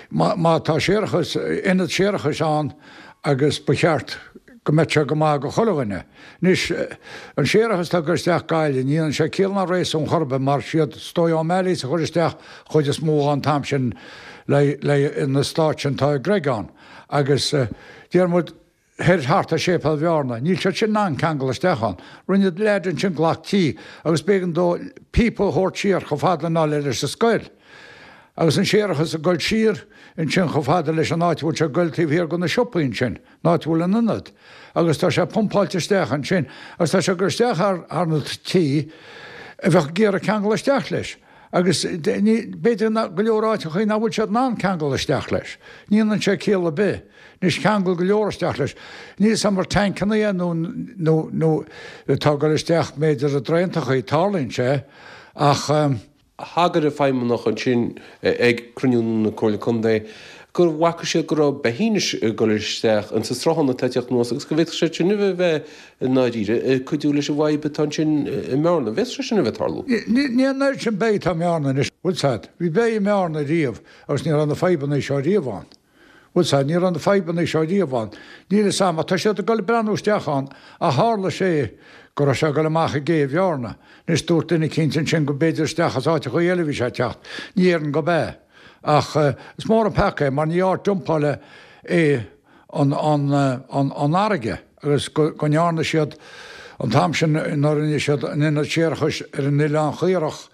má tá séarachas, ionad séarachais ann agus ba cheart. Go mbeadh sé go maith go chuile dhuine. Anois, an séarachas atá ag goil isteach Gaillimh, ní dhéanann sé ciall ná réasún chor ar bith mar siad is dóigh O'Malley's a chuir isteach chuid is mó an t-am sin le le na stáit sin atá i gCreagán. Agus deir muid thoir thart ar Séipéal Bhearna, níl siad sin in ann ceangal isteach ann. Rinne leaid ansin glac tí agus b'éigean dó píopa a thabhairt siar chomh fada le leis an scoil. Agus an séarachas ag goil siar ansin chomh fada leis an áit a bhfuil sé ag goil taobh thiar de na siopaí ansin, an áit a bhfuil an ionad. Agus tá sé pumpáilte isteach ansin agus tá sé ag goil isteach thar thar na tithe a bheadh ag iarraidh ceangal isteach leis. Agus ní, b'fhéidir go leor áiteachaí nach bhfuil siad in ann ceangal isteach leis. Ní dhéanann sé ciall ar bith. Anois ceangal go leor isteach leis. Níl 'fhios a'm ar tancannaí é nó nó nó atá ag goil isteach b'fhéidir i dtraontachaí, tarlaíonn sé ach. Thagair an feidhmeannach ansin ag cruinniú na Comhairle Contae go bhfaca siad go raibh beithígh ag dul isteach insa sruthán atá ag teacht anuas agus go bhféadfadh sé sin a bheith i ndáiríre ag cuidiú leis an bhfadhb atá ansin i mBearna. An bhféadfadh sé sin a bheith ag tarlú? Ní an oiread sin beithígh atá i mBearna anois. Bhfuil 's a'd, bhí beithígh i mBearna riamh agus ní raibh na fadhbanna seo riamh ann. Bhfuil 's a'd, ní raibh na fadhbanna seo riamh ann. Níl 'fhios a'm, ach tá siad ag dul ag breathnú isteach ann, ach tharla sé go raibh sé ag dul amach i gcé Bhearna. Anois dúirt duine eicínt ansin go b'fhéidir isteach as áiteachaí eile a bhí sé ag teacht. Ní déarfainn gob ea. Ach is mór an peaca é mar ní áit dumpála é an, an, an, an fharraige agus go, go ndearna siad an t-am sin nuair a rinne siad an ionad séarachais ar an Oileán Chaorach,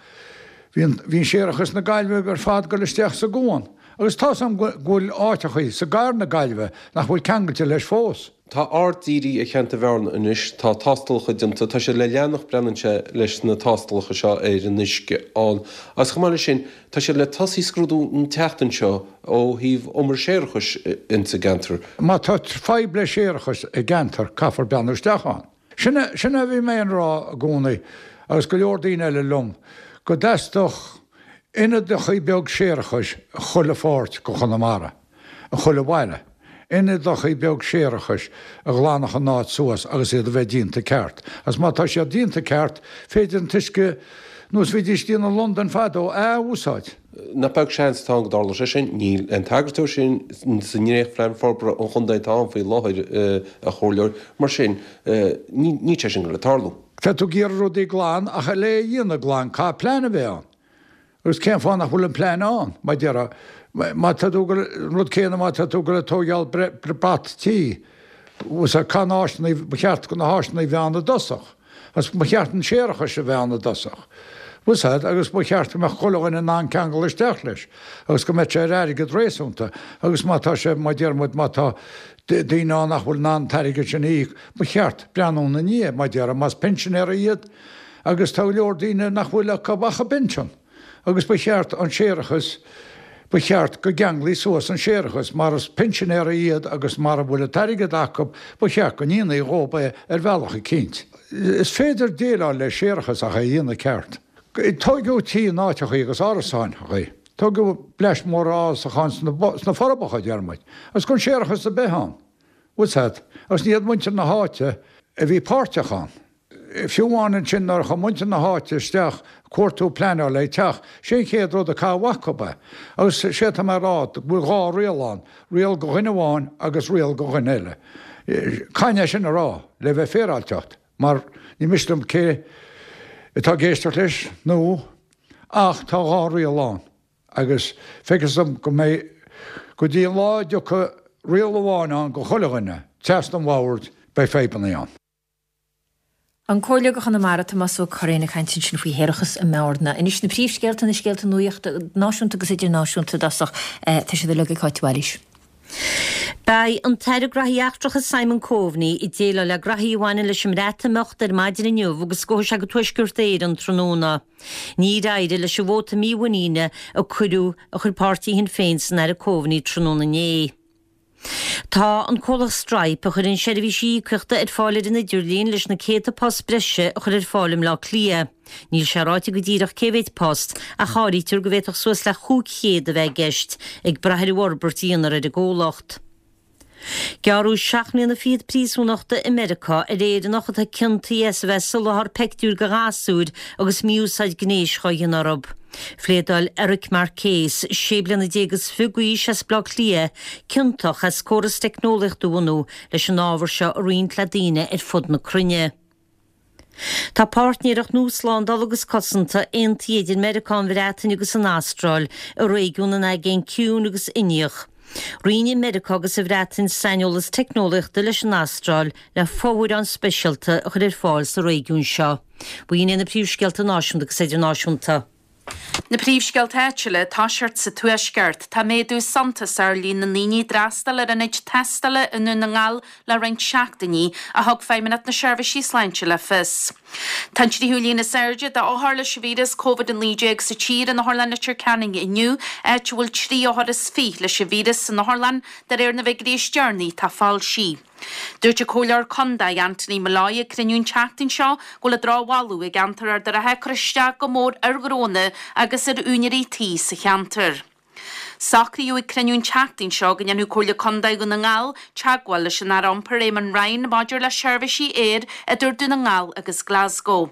bhí an, bhí an séarachas na Gaillimhe ar fad ag dul isteach sa gcuan. Agus tá's a'm go bhfuil áiteachaí sa gcathair na Gaillimhe nach bhfuil ceangailte leis fós. Tá aird dírithe ar cheantar Bhearna anois, tá tástalacha déanta, tá siad le leanacht breathnaíonn sé leis na tástalacha seo ar an uisce ann agus chomh maith leis sin tá siad le tosaí scrúdú an tseachtain seo ó thaobh umar séarachais ins an gceantar. Má tá fadhb le séarachas i gceantar caithfear breathnú isteach ann. Sin é, sin é a bhí mé ag rá i gcónaí agus go leor daoine eile liom, go dteastódh ionadachaí beag séarachais i chuile pháirt go Chonamara, i chuile bhaile, ionadachaí beag séarachais a ghlanfadh an áit suas agus iad a bheith déanta ceart. Agus má tá siad déanta ceart, féidir an t-uisce, nós bhídís ag déanamh i Londain fadó, a athúsáid. Nach beag seans atá ann go dtarlódh sé sin. Níl aon tagairt dó sin sa ndréachtphlean forbartha an chontae atá ann faoi láthair, a Chomhairleoir. Mar sin, níl sé sin ag dul ag tarlú. Tá tú ag iarraidh rudaí glan ach le é a dhéanamh glan caithfidh plean a bheith ann. Agus cén fáth nach bhfuil an plean ann, mar a déarfá, má tá tú ag dul, an rud céanna má tá tú ag dul ag tóigeáil brat tí, caithfidh na háiseanna, ba cheart na háiseanna a bheith ann i dtosach. Agus ba cheart an séarachas a bheith ann i dtosach. Bhfuil 's a'd, agus ba cheart go mbeadh chuile dhuine in ann ceangal isteach leis, agus go mbeadh sé ar airgead réasúnta, agus má tá sé, mar a deir muid, má tá daoine ann nach bhfuil in ann an t-airgead sin a íoc, ba cheart breathnú ina ndiaidh, mar a déarfá, más pinsinéirí iad, agus tá go leor daoine nach bhfuil acu ach a bpinsean. Agus ba cheart an séarachas, ba cheart go gceanglaí suas an séarachas, mar is pinsinéirí iad agus mara bhfuil an t-airgead acu, ba cheart go ndéanfaí dhób é ar bhealach eicínt. Is féidir déileáil le séarachas ach é a dhéanamh ceart. Tóigeadh tí in áiteachaí agus árasáin, tóigeadh bleaist mhór árasacháin sna Forbacha, deir muid, agus gan séarachas ar bith ann. Bhfuil 's a'd? Agus ní hiad muintir na háite a bhí páirteach ann. Fiú amháin ansin nuair a chuaigh muintir na háite isteach cuartú pleanáil le teach, sé an chéad rud a caitheadh acu é. Agus sé atá mé a rá, go bhfuil dhá riail ann, riail go dhuine amháin agus riail go dhuine eile. Caithfidh mé sin a rá, le bheith féaráilteacht, mar ní miste liom cé atá ag éisteacht leis nó, ach tá dhá riail ann. Agus feictear dom go mbeidh, go dtí an lá a dtiocfaidh riail amháin ann go chuile dhuine, trasna an bhoird, beidh fadhbannaí ann. An Comhairleoir do Chonamara, Tomás Ó Curraoin ag caint ansin faoi shéarachas i mBearna. Anois na príomhscéalta, na scéalta nuachta náisiúnta agus idirnáisiúnta i dtosach. Tá siad uilig ag Cáit de Bhailís. Beidh an tAire Graithí Eachtracha Simon Coveney ag déileáil le graithí a bhaineann leis an mBreatimeacht ar maidin inniu agus gabhfaidh sé go Tuaisceart Éireann tráthnóna. Níor éirigh leis an vóta mímhuiníne a cuireadh a chuir páirtí Shinn Féin san Aire Coveney tráthnóna inné. Tá an comhlacht Stripe, a chuireann seirbhísí íocaíochta ar fáil ar an idirlíon, leis na céadta post breise a chur ar fáil i mBleá Cliath. Níl sé ráite go díreach cé mhéid post, ach áirítear go bhféadfadh suas le 500 a bheith i gceist, ag brath ar an bhforbairt a dhéanfar ar an gcomhlacht. Gearradh seacht mbliana fichead príosúnachta i Meiriceá ar Éireannach atá ciontaithe as a bheith ag soláthar peictiúir do ghasúir agus mí-úsáid gnéis dhá dhéanamh orthu. Phléadáil Eric Marcais, 16 bliana is fiche d'aois as Baile Átha Cliath, ciontach as córas teicneolaíochta a bhunú leis an ábhar seo a roinnt le daoine ar fud na cruinne. Tá páirtnéireacht nua slándála agus cosanta aontaithe idir Meiriceá, an Bhreatain agus an Astráil i réigiún an Aigéin Ciúin agus Indiach. Roinnfidh Meiriceá agus an Bhreatain saineolas teicneolaíochta leis an Astráil le fomhuireáin speisialta a chur ar fáil sa réigiún seo. B'in iad na príomhscéalta náisiúnta agus idirnáisiúnta. Na príomhscéalta áitiúla, toiseacht sa Tuaisceart. Tá méadú suntasach ar líon na ndaoine a d'fhreastail ar ionaid tástála i nDún na nGall le roinnt seachtainí, a thug Feidhmeannacht na Seirbhísí Sláinte le fios. Tá an tríú líon is airde d'othair leis an víreas Covid-19 sa tír in Otharlann Leitir Ceanainn inniu, áit a bhfuil 23 othar leis an víreas san otharlann, de réir na bhfigiúirí is deireanaí atá foilsithe. Dúirt an Comhairleoir Contae Anthony Molloy ag cruinniú an tseachtain seo go bhfuil an drochbholadh i gceantar Ard an Rátha ag cur isteach go mór ar ghnónna agus ar úinéirí tí sa cheantar. Socraíodh ag cruinniú an tseachtain seo go ndéanfadh Comhairle Contae Dhún na nGall teagmháil leis an Aire Iompair Eamon Ryan maidir le seirbhísí aeir idir Dún na nGall agus Glasgow.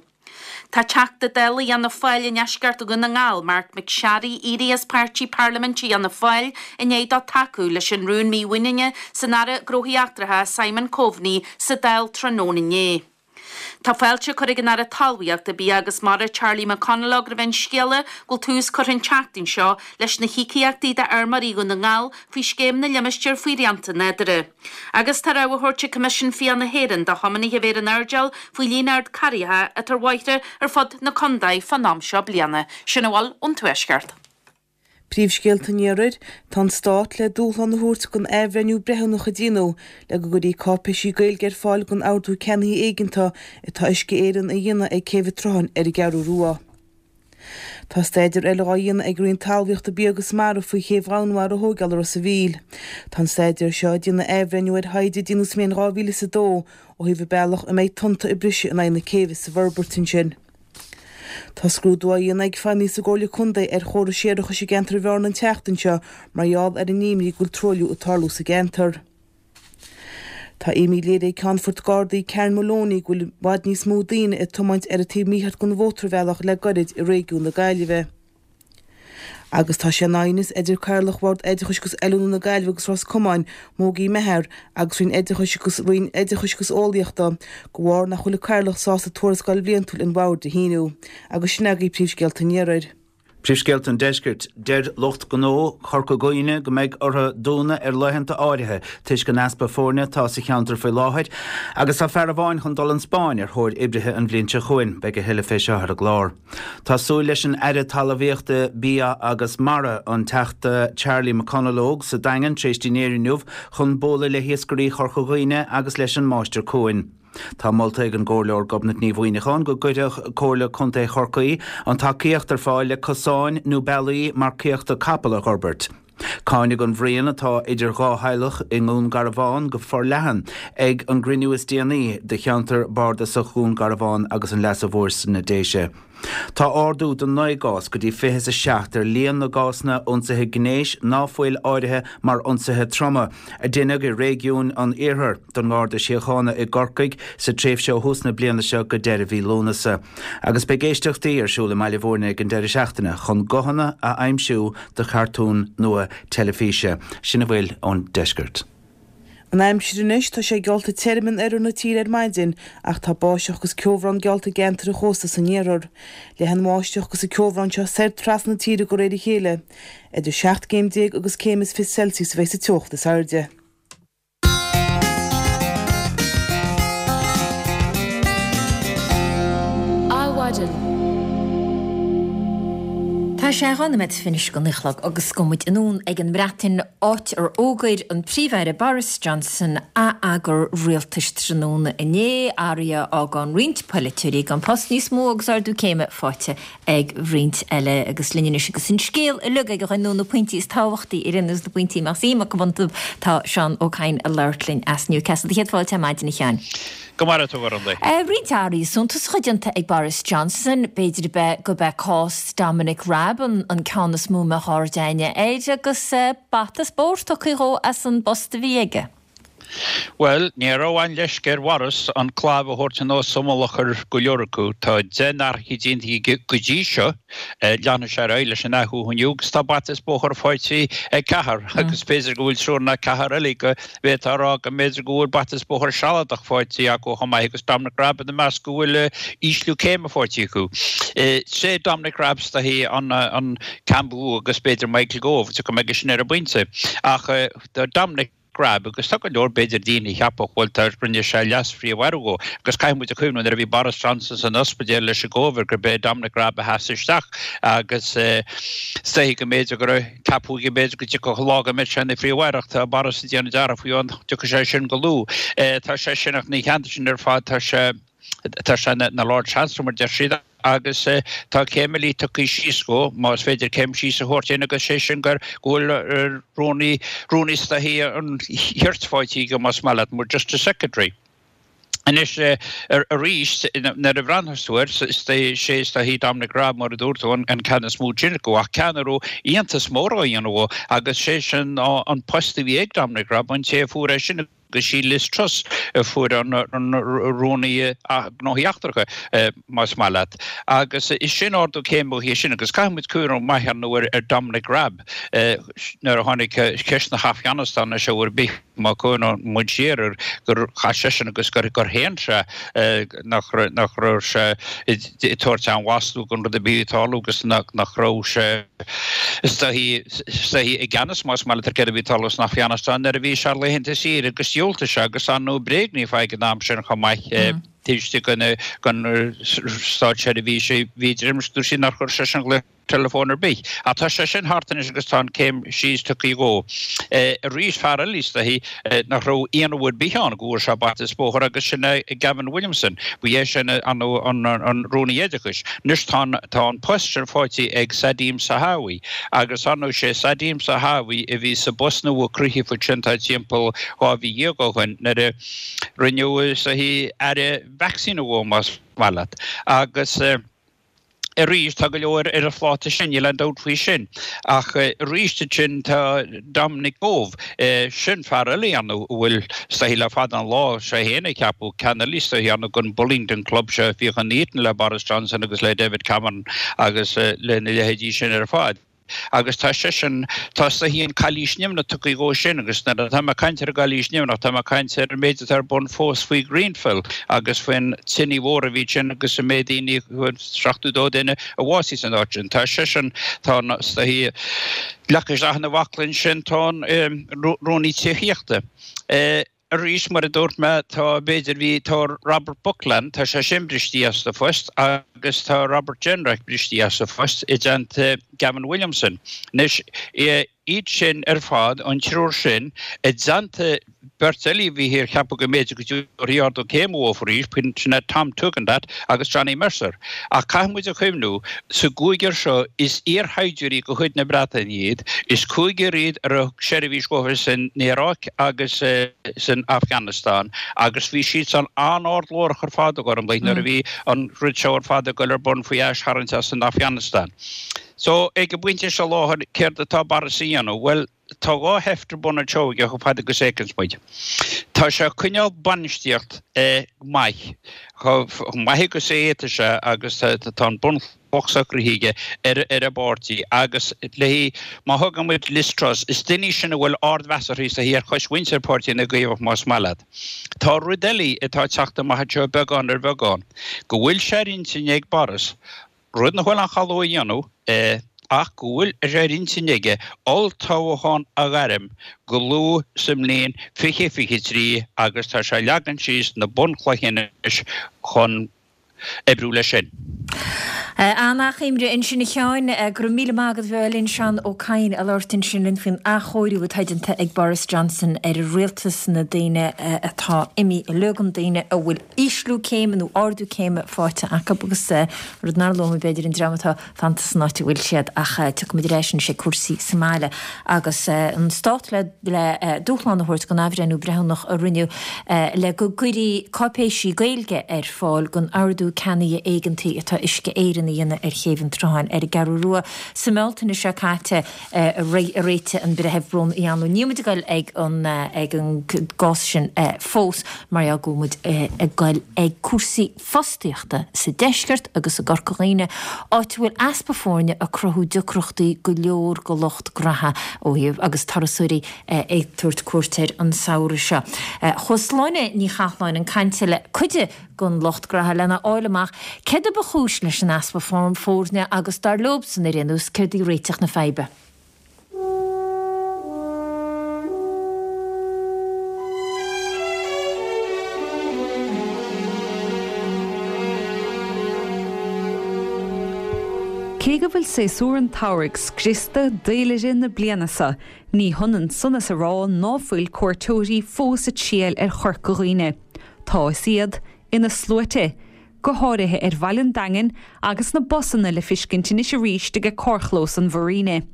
Tá Teachta Dála Fhianna Fáil i ndeisceart Dhún na nGall, Marc MacSharry, éirithe as páirtí parlaiminte Fhianna Fáil i ndiaidh dó tacú leis an rún mímhuiníne san Aire Gnóthaí Eachtracha Simon Coveney sa Dáil tráthnóna inné. Tá fáilte curtha ag an Aire Talmhaíochta, Bia agus Mara Charlie McConalogue roimh an scéala go bhfuil tús curtha an tseachtain seo leis na híocaíochtaí d'fheirmeoirí Dhún na nGall faoi Scéim na Limistéar faoi Shrianta Nádúrtha. Agus tá rabhadh á thabhairt ag Coimisiún Fiach na hÉireann do thiománaithe a bheith ar an airdeall faoi líon ard carraigheacha atá ar bhóithre ar fud na condae fán am seo bliana. Sin a bhfuil ón Tuaisceart. Príomhscéalta an Iarthair, Tá an Stát le dúshlán a thabhairt don athbhreithniú breithiúnach a déanadh le go gcuirfí cáipéisí Gaeilge ar fáil don ordú ceannaithe éigeanta atá Uisce Éireann a dhéanamh ag Céibh an tSrutháin ar an gCeathrú Rua. Tá staidéar eile dhá dhéanamh ag Roinn Talmhaíochta, Bia agus Mara faoi chéibh Dhomhanmhara a thóigeáil i Ros a' Mhíl. Tá an staidéar seo ag déanamh athbhreithniú ar thaighde a déanadh sa mbliain 2002 ó thaobh an bealach a mbeidh tonnta ag briseadh in aghaidh na céibhe sa bhforbairt ansin. Tá scrúdú á dhéanamh ag feidhmeannaigh sa gComhairle Contae ar chórais séarachais i gceantar Bhearna an tseachtain seo mar gheall ar an imní go bhfuil truailliú ag tarlú sa gceantar. Tá imní léirithe ag Ceannfort Gardaí Karen Moloney go bhfuil i bhfad níos mó daoine ag tiomáint ar an taobh mícheart den mhótarbhealach le gairid i réigiún na Gaillimhe. Agus tá sé in aighneas idir Cathaoirleach Bhord Oideachais agus Oiliúna na Gaillimhe agus Ros Comáin, Mogie Meagher, agus Roinn Oideachais agus Roinn Oideachais agus Eolaíochta, de bharr nach bhfuil an Cathaoirleach sásta tuarascáil bhliantúil an Bhoird a shíniú. Agus sin agaibh príomhscéalta an Iarthair. Príomhscéalta an Deiscirt, Deir lucht gnó Chorca Dhuibhne go mbeidh orthu dúnadh ar laethanta áirithe toisc an easpa foirne atá sa cheantar faoi láthair agus tá fear amháin chun dul an Spáinn ar thóir oibrithe an bhliain seo chugainn. Beidh a thuilleadh fé seo ar an gclár. Tá súil leis an Aire Talmhaíochta, Bia agus Mara, an Teachta Charlie McConalogue sa Daingean tar éis dinnéir inniu chun bualadh le hiascairí Chorca Dhuibhne agus leis an Máistir Cuain. Tá molta ag an gComhairleoir Gobnait Ní Mhuimhneacháin go gcuirfeadh Comhairle Contae Chorcaí an tacaíocht ar fáil le cosáin nó bealaí marcaíochta capall a dh'fhorbairt. Cáineadh an bhruíon atá idir dhá theaghlach i nDún Garbhán go forleathan ag an gcruinniú is déanaí de cheantar bardasach Dhún Garbhán agus an Leasa Mhóir sna Déise. Tá ardú de 9 gcás go dtí 27 ar líon na gcásanna ionsaithe gnéis ná fuil áirithe mar ionsaithe troma a deineadh i réigiún an Iarthair don nGarda Síochána i gCorcaigh sa tréimhse ó thús na bliana seo go deireadh mhí Lúnasa. Agus beidh éisteachtaí ar siúl i mBaile Bhúirne ag an deireadh seachtaine chun guthanna a aimsiú do chartún nua teilifíse. Sin a bhfuil ón deisceart. An aimsir anois, tá sé geallta tirim in oirthear na tíre ar maidin ach tá báisteach agus ceobhrán geallta i gceantair an chósta san iarthar. Leathfaidh an bháisteach agus an ceobhrán seo soir trasna na tíre de réir a chéile. Idir 17 gcéim agus céim is 20 Celsius a bheidh sa teocht is airde. Adhmhaidin. Tá sé 2 nóiméad finis go naoi a chlog agus gabhfaidh muid anonn ag an mBreatain, áit ar fhógair an Príomh-Aire Boris Johnson a atheagar rialtais tráthnóna inné, athruithe a fhágann roinnt polaiteoirí gan post níos mó agus ardú céime faighte ag roinnt eile. Agus linn anois agus an scéal uilig ag a dhuine nó na pointí is tábhachtaí ar aon nós na pointí a mbeadh suim acu iontu, tá Seán Ó Cadhain ag labhairt linn as Newcastle. Céad fáilte ar maidin a Sheáin. Go maire tú, a Ghormlaith. Roinnt athruithe suntasacha déanta ag Boris Johnson. B'fhéidir gurb é cás Dominic Raab an ceann is mó a mbeadh aird éinne air agus bata spóirt tugtha dhó as an bpost a bhí aige. Bhuel, ní raibh aon leisce ar Bhoris an clabh a thabhairt anuas sa mullach ar go leor acu. Tá 10 n-athraithe déanta aige go dtí seo. Leanfaidh sé ar aghaidh leis an athrú inniu agus tá bata is bóthar faighte ag ceathrar agus b'fhéidir go bhfuil triúr nó ceathrar eile go bhféadfá a rá go mb'fhéidir go bhfuil bata is bóthar sealadach faighte acu chomh maith agus Dominic Raab ina measc go bhfuil ísliú céime faighte acu. Sé Dominic Raab is dóichí an ceann ba mhó agus b'fhéidir Michael Gove, tiocfaidh mé aige sin ar an bpointe. Ach Dominic Raab agus tá go leor b'fhéidir daoine a cheapfadh bhuel tá rinne sé leas-phríomh-aire dhó agus caithfidh muid a chuimhniú nuair a bhí Boris Johnson san ospidéal leis an gCóivid gurb é Dominic Raab a sheas isteach agus is dóichí go mb'fhéidir go raibh ceapadh go mb'fhéidir go dtiocfadh lá go mbeadh sé ina phríomh-aire ach tá Boris ag déanamh dearmad faoi an dtiocfaidh sé sin go luath. Tá sé sin ach ina theannta sin ar fad tá sé tá sé ina Lord Chancellor mar deir siad agus tá céim eile tugtha síos dhó, más féidir céim síos a thabhairt aon agus sé sin gur go bhfuil rúnaí, rúnaí is dóichí an chirt faighte aige más maith leat, mar Justice Secretary. Anois arís nuair a bhreathnaíos tú air, is sé is dóichí Dominic Raab mar a dúirt tú an ceann is mó sin acu ach ceann a raibh iontas mór á dhéanamh dhó agus sé sin an post a bhí ag Dominic Raab an té a fuair é sin agus sí Liz Truss a fuair an Rúnaí Gnóthaí Eachtracha, más maith leat. Agus is sin ardú céime uaithi sin. Agus caithfidh muid cuimhneamh maith ar ndóigh ar Dominic Raab nuair a tháinig ceist na hAfganastáine seo ar bith, má chuimhníonn muid siar air, gur chaith seisean agus gur shéan sé nach raibh sé ag tabhairt aon mhaslú don rud a bhí ag tarlú agus nach raibh sé Is dóichí, is dóichí i gceannas más maith leat ar céard a bhí ag tarlú san Afganastáin nuair a bhí sé ar laethanta saoire agus dhiúltaigh sé agus ar ndóigh bréagnaíodh é ag an am sin chomh maith taobh istigh den den státseirbhís bhí idir imeacht dúirt sí nár chuir seisean glaoch teileafóin ar bith. Ach tá sé sin thart anois agus tá an céim síos tugtha dhó. Arís fear eile is dóichí nach raibh ionadh ar bith ann go bhfuair sé bata is bóthar agus sin é Gavin Williamson. Ba é sin an Rúnaí Oideachais. Anois tá an tá an post sin faighte ag Nadhim Zahawi agus ar ndóigh sé Nadhim Zahawi a bhí sa bpost nua cruthaithe ansin tá timpeall 12 mhí ó shin nuair a rinneadh is dóichí aire vacsaíne dhó más maith leat agus Arís, tá go leor ar a phláta sin, níl aon dabht faoi sin. Ach arís ansin tá Dominic Gove, sin fear eile ar ndóigh a bhfuil is dóichí le fada an lá, sé féin a ceapadh, ceann eile is dóichí ar ndóigh den Bullingdon Club seo a bhíodh in Eton le Boris Johnson agus le David Cameron agus lena leithéidí sin ar fad. Agus tá seisean, tá is dóichí an cailís nimhneach tugtha dhó sin agus nuair atá mé ag caint ar an gcailís nimhneach, tá mé ag caint ar an méid atá ar bun fós faoi Grenfell agus faoin tine mhór a bhí ansin agus an méid daoine, 72 duine a bhásaigh san áit sin. Tá seisean, tá an, is dóichí, leagtha isteach ina bhaclainn sin, tá an Rúnaí Tithíochta. Arís, mar a dúirt mé, tá, b'fhéidir, bhí, tá Robert Buckland, tá sé sin bristí as a phost agus tá Robert Jenrick bristí as a phost i dteannta Gavin Williamson. Anois, iad sin ar fad, an triúr sin, i dteannta beirt eile a bhí ar ceapadh go mb'fhéidir go dtabharfaí ardú céime dhóibh arís, sin é Tom Tugendhat agus Johnny Mercer. Ach caithfidh muid a chuimhniú, sa gcúigear seo, is iarshaighdiúirí de chuid na Breataine iad, is cúigear iad a raibh seirbhís dhóibh san Iaráic agus san Afganastáin agus bhí siadsan an-ard-ghlórach ar fad, a Ghormlaith, nuair a bhí an rud seo ar fad ag dul ar bun faoi aistharraingt as an Afganastáin. So, ag an bpointe seo láthair, céard atá Boris a dhéanamh? Bhuel, Tá dhá sheift ar bun anseo aige chomh fada agus a fheiceanns muid. Tá sé ag coinneáil bainistíocht maith, chomh maith agus a fhéadfaidh sé agus tá an bunchloch socraithe aige ar an bpáirtí agus léi má thugann muid Liz Truss, is duine í sin a bhfuil ardmheas uirthi sa ar choismhuintir Páirtí na gCaomhach más maith leat. Tá rud eile atá ag teacht amach anseo beagán ar bheagán, go bhfuil sé ar intinn ag Boris Rud nach bhfuil aon chall dó a dhéanamh, ach go bhfuil sé ar intinn aige olltoghchán a ghairm go luath sa mbliain 2023 agus tá sé ag leagan síos na bunchloiche anois chun oibriú leis sin. An-achoimre ansin a Sheáin. Go raibh míle maith agat a bheith linn Seán Ó Cadhain ag labhairt ansin linn faoin athchóiriú atá déanta ag Boris Johnson ar a rialtas, na daoine atá imithe uilig, na daoine a bhfuil ísliú céime nó ardú céime faighte acu agus rud nár luaigh mé b'fhéidir an dream atá fanta san áit a bhfuil siad ach tiocfaimid ar ais anois ag cúrsaí sa mbaile agus an stát le le dúshlán a thabhairt don athbhreithniú breithiúnach a rinneadh le go gcuirfí cáipéisí Gaeilge ar fáil don ordú ceannaithe éigeantaí atá Uisce Éireann. arna dhéanamh ar Chéibh an tSrutháin ar an gCeathrú Rua sa mBealtaine seo caite a réitigh an Breitheamh Brón Uí Anluain. Níl muid ag goil ag an ag an gcás sin fós mar gheall go bhfuil muid ag goil ag cúrsaí fostaíochta sa deisceart agus i gCorca Dhuibhne, áit a bhfuil easpa foirne ag cruthú deacrachtaí go leor go lucht graithe ó thaobh agus turasóirí ag tabhairt cuairt air an samhradh seo. Chuaigh Sláine Ní Chathláin chun cainte le cuid den lucht graithe lena fháil amach céard a ba chúis leis an easpa foirne agus dar leobsan ar aon nós céard í réiteach na faidhbe. Cé go bhfuil séasúr an tsamhraidh scriosta d'fhéilire na bliana seo, ní hionann san is a rá ná fuil cuairteoirí fós ag triall ar Chorca Dhuibhne. Tá is iad ina sluaite, go háirithe ar bhaile an Daingin agus na busanna le fiscint anois arís aige carrchlós an Mhuiríne.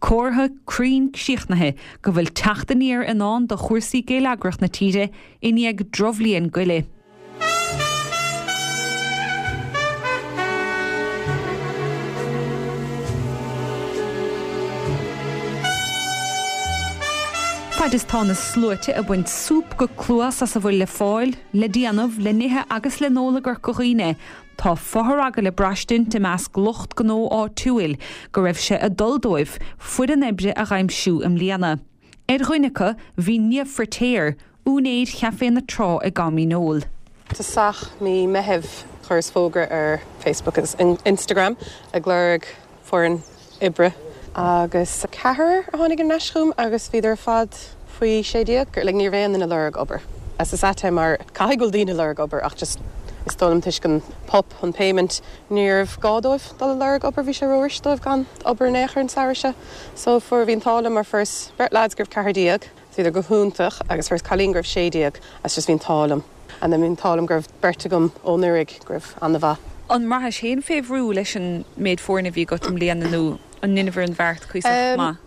Comhartha cruinn críochnaithe go bhfuil teacht aniar i ndán do chúrsaí géilleagrach na tíre i ndiaidh drochbhliain goile. Faid is tá na sluaite ag baint súp go cluas as a bhfuil le fáil, le déanamh, le n-ithe agus le n-ól i gCorca Dhuibhne, Tá fothragadh le braistint i measc lucht gnó áitiúil go raibh sé ag dul dóibh foireann oibre a dh'aimsiú i mbliana. Ar dhuine acu bhí Niamh Firtéar, úinéir Chaifé na Trá i gCam Fhíneoil. Tosach mí Meithimh chuireas fógra ar Facebook agus Instagram ag lorg foireann oibre agus ceathrar a tháinig ar ais chugam agus bhíodar ar fad faoi 16. Like ní raibh aon duine ag lorg obair. Is is ait é mar caithfidh go bhfuil daoine ag lorg obair ach just is dóigh liom toisc an PUP, an payment, níorbh gá dóibh dul ag lorg obair, bhí sé ró-fhuirist dóibh gan obair in aon chor an samhradh seo. So fuair, bhí an t-ádh liom mar fuaireas beirt lads go raibh 14, bhíodar go hiontach agus fuaireas cailín go raibh 16 agus just bhí an t-ádh liom. And then bhí an t-ádh liom go raibh beirt agam ó anuraidh go raibh ana-mhaith. An mbraithis féin fé bhrú leis an méid foirne a bhí agat i mbliana nó an ndeineabhair an bheart cuíosach maith?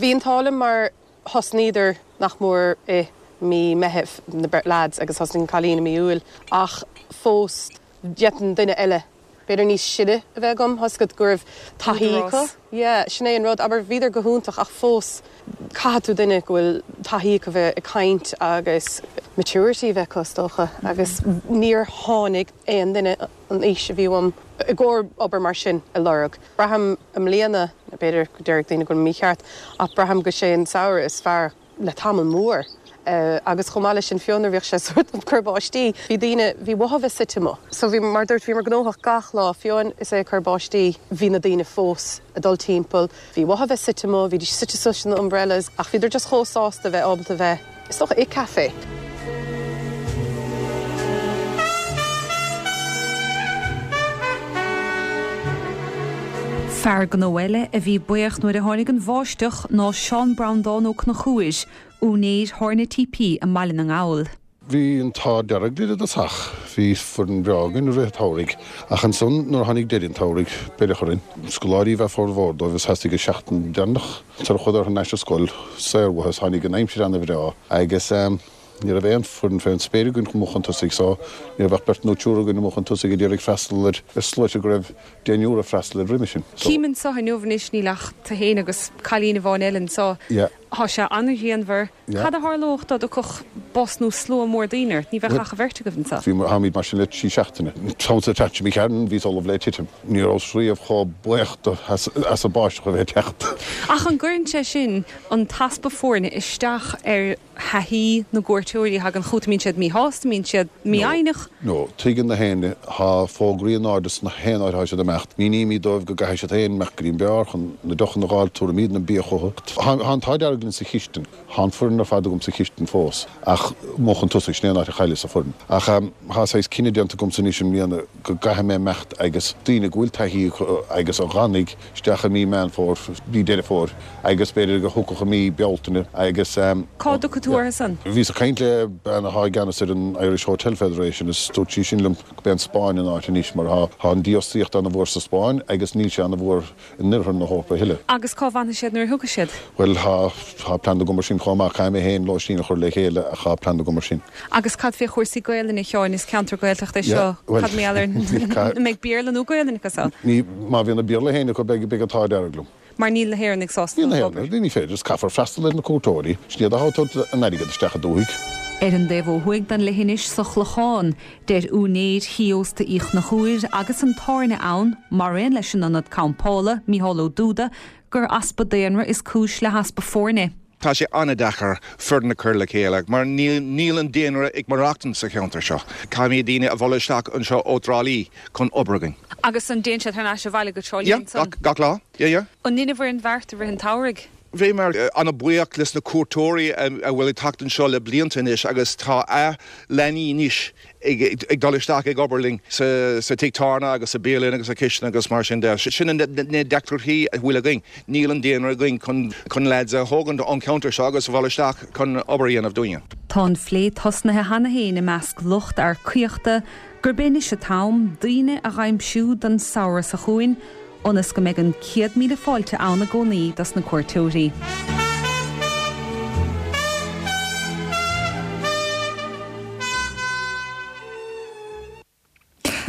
Bhí an t-ádh liom mar thosnaíodar nach mór i mí Meithimh, na beirt lads, agus thosnaigh an cailín i mí Iúil ach fós d'fhéadfainn duine eile b'fhéidir níos sine a bheith agam, tá 'fhios agat go raibh taithí acu. Yeah, sin é an rud, abair, bhíodar go hiontach ach fós caithfidh tú duine go bhfuil taithí acu bheith ag caint agus maturity a bheith acu is dócha agus níor tháinig aon duine an aois a bhí uaim i gcomhair obair mar sin a lorg. Braithim i mbliana, b'fhéidir go déarfadh daoine go bhfuil mícheart ach braithim go sé an samhradh is fearr le tamall mór. Agus chomh maith leis sin, fiú nuair a bhíodh sé sórt ag cur báistí, bhí daoine, bhí uathu bheith suite amuigh. So bhí, mar dúirt, bhíomar gnóthach gach lá, fiú is é ag cur báistí, bhí na daoine fós ag dul timpeall, bhí uathu bheith suite amuigh, bhídís suite suas sna umbrellas, ach bhíodar just chomh sásta bheith ábalta bheith, is dócha, i café. Fear gnó eile a bhí buíoch nuair a tháinig an bháisteach ná Seán Breandán Ó Conchúir, úinéir Thábhairne TP i mBaile na nGall. Bhí an t-ádh dearg linn i dtosach. Bhí foireann bhreá againn i rith an tsamhraidh. Ach ansan nuair a tháinig deireadh an tsamhraidh, beireadh orainn. Scoláirí ab ea formhór dóibh is theastaigh an seachtain deireanach sar a chuadar thar n-ais ar scoil saor uathu is tháinig an aimsir ana-bhreá agus Ní raibh aon foireann fén spéir againn amuigh chun tosaigh so ní raibh ach beirt nó triúr againn amuigh chun tosaigh a d'iarraidh freastal ar sluaite go raibh deichniúr ag freastal air roimhe sin. So. Cím anso inniu anois níl ach tu fhéin agus cailín amháin eile anso. Yeah. Tá sé an-ghrianmhar. Yeah. Cad a tharlódh dá dtiocfadh bus nó slua mór daoine ort? Ní bheadh ach an bheirt agaibh anso. Bhí, tháimid mar sin le trí seachtaine. An t-am sa tseachtain seo imigh tharainn bhíos ullamh le titim. Ní rabhas riamh chomh buíoch do as an báisteach a bheith ag teacht. Ach an gcuireann sé sin an t-easpa foirne isteach ar thaithí na gcuairteoirí a thagann chugat, an mbíonn siad míshásta, an mbíonn siad mífhoighneach? No, tuigeann na héinne, tá fógraí in airde sna haon áit atá siad ag imeacht. Mínímid dóibh go gcaithfidh siad féin imeacht go dtí an beár chun na deochanna a dh'fháil, tabhraimídne an bia chucu. Tá an t-ádh dearg linn sa chistin, tá an foireann ar fad agam sa chistin fós, ach amuigh chun tosaigh, sin é an áit a chailleas an foireann. Ach tá saghas cinneadh déanta agamsa anois i mbliana go gcaithfidh mé imeacht agus daoine go bhfuil taithí acu agus a dh'fhanfaidh isteach i mí Meán Fómhair, mí Deireadh Fómhair agus b'fhéidir go thiocfadh i mí Bealtaine agus. Cá dtiocfaidh tú orthu san? Bhíos ag caint le bean athá i gceannas ar an Irish Hotel Federation is dúirt sí sin liom go b'é an Spáinn an áit anois mar thá an dífhostaíocht ana-mhór sa Spáinn agus níl sé ana-mhór in oirthear na hEorpa a thuilleadh. Agus cá bhfanfaidh siad nuair a thiocfaidh siad? Bhuel, thá. Tá plean agam mar sin chomh maith. Caithfidh mé féin lóistín a chur le chéile ach tá plean agam mar sin. Agus cad fé chúrsaí Gaelainne, a Sheáin? Is ceantar Gaeltachta é seo. Cad mar gheall ar, an mbeidh Béarla nó Gaelainn acu san? Ní, má bhíonn an Béarla féin acu beidh, beidh an t-ádh dearg liom. Mar níl na hÉireannaigh sásta Níl na hÉireannaigh, ní féidir, is caithfear freastal ar na cuairteoirí. Sin iad atá ag tabhairt an airgead isteach an dúthaigh. Ar an dtaobh ó thuaidh den leithinis sa Chlochán, deir úinéir thí ósta Uí Chonchúir agus an tábhairne ann, maraon leis an ionad campála, Mícheál Ó Dúda, gur easpa daonra is cúis le heaspa foirne. Tá sé an-deacair foireann a chur le chéile mar níl an daonra ag maireachtaint sa cheantar seo. Caithfimid daoine a mhealladh isteach anseo ó Thrá Lí chun obair againn. Agus an dtéann siad thar n-ais abhaile go Trá Lí Yeah, ansan? gach lá. Yeah, yeah. An ndeinibh an bheart i rith an tsamhraidh? Bhíomar an-bhuíoch leis na cuairteoirí a bhfuil ag teacht anseo le blianta anois agus tá a leanaí anois ag dul isteach ag obair linn sa tigh tábhairne agus sa bialann agus sa chistin agus mar sin de. Sin na deacrachtaí a bhfuil againn. Níl an daonra againn chun lads a thógaint ón cheantar seo agus a mhealladh isteach chun obair a dhéanamh dúinne. Tá an phlé tosnaithe cheana féin i measc lucht earcaíochta gurb é anois an t-am daoine a dh'aimsiú don samhradh seo chugainn ionas go mbeidh an 100,000 fáilte ann i gcónaí dos na cuairteoirí.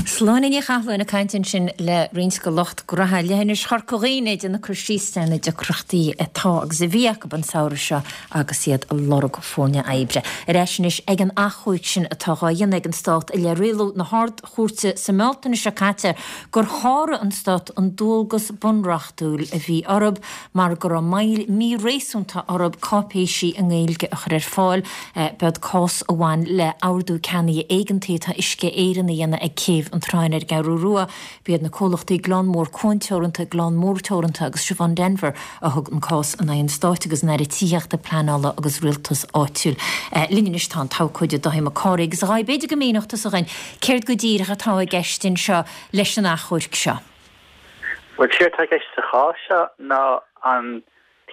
Sláine Ní Chathalláin ag caint ansin le roinnt de lucht graithe Leithinis Chorca Dhuibhne ag déanamh cur síos ar na deacrachtaí atá agus a bhí acu an samhradh seo agus iad ag lorg foirne oibre. Ar ais anois ag an achomharc sin atá dhá dhéanamh ag an Stát i leith rialú na hArd-Chúirte sa mBealtaine seo caite gur sháraigh an Stát an dualgas bunreachtúil a bhí orthu mar go raibh moill mhíréasúnta orthu cáipéisí i nGaeilge a chur ar fáil. B'iod cás a bhain le hordú ceannaithe éigeantaí atá Uisce Éireann a dhéanamh ag Céibh an tSratháin ar an gCeathrú Rua. B'iad na comhlachtaí Gleann Mór Cuan Teoranta, Gleann Mór Teoranta agus Siobhán Denvir a thug an cás in aghaidh an Stáit agus an Aire Tithíochta, Pleanála agus Rialtais Áitiúil. Linn anois tá an t-abhcóide Dáithí Mac Cárthaigh agus a Dháithí, b'fhéidir go míneodh tusa dhuinn céard go díreach atá i gceist anseo leis an achomharc seo. Bhuel, séard atá i gceist sa chás seo ná an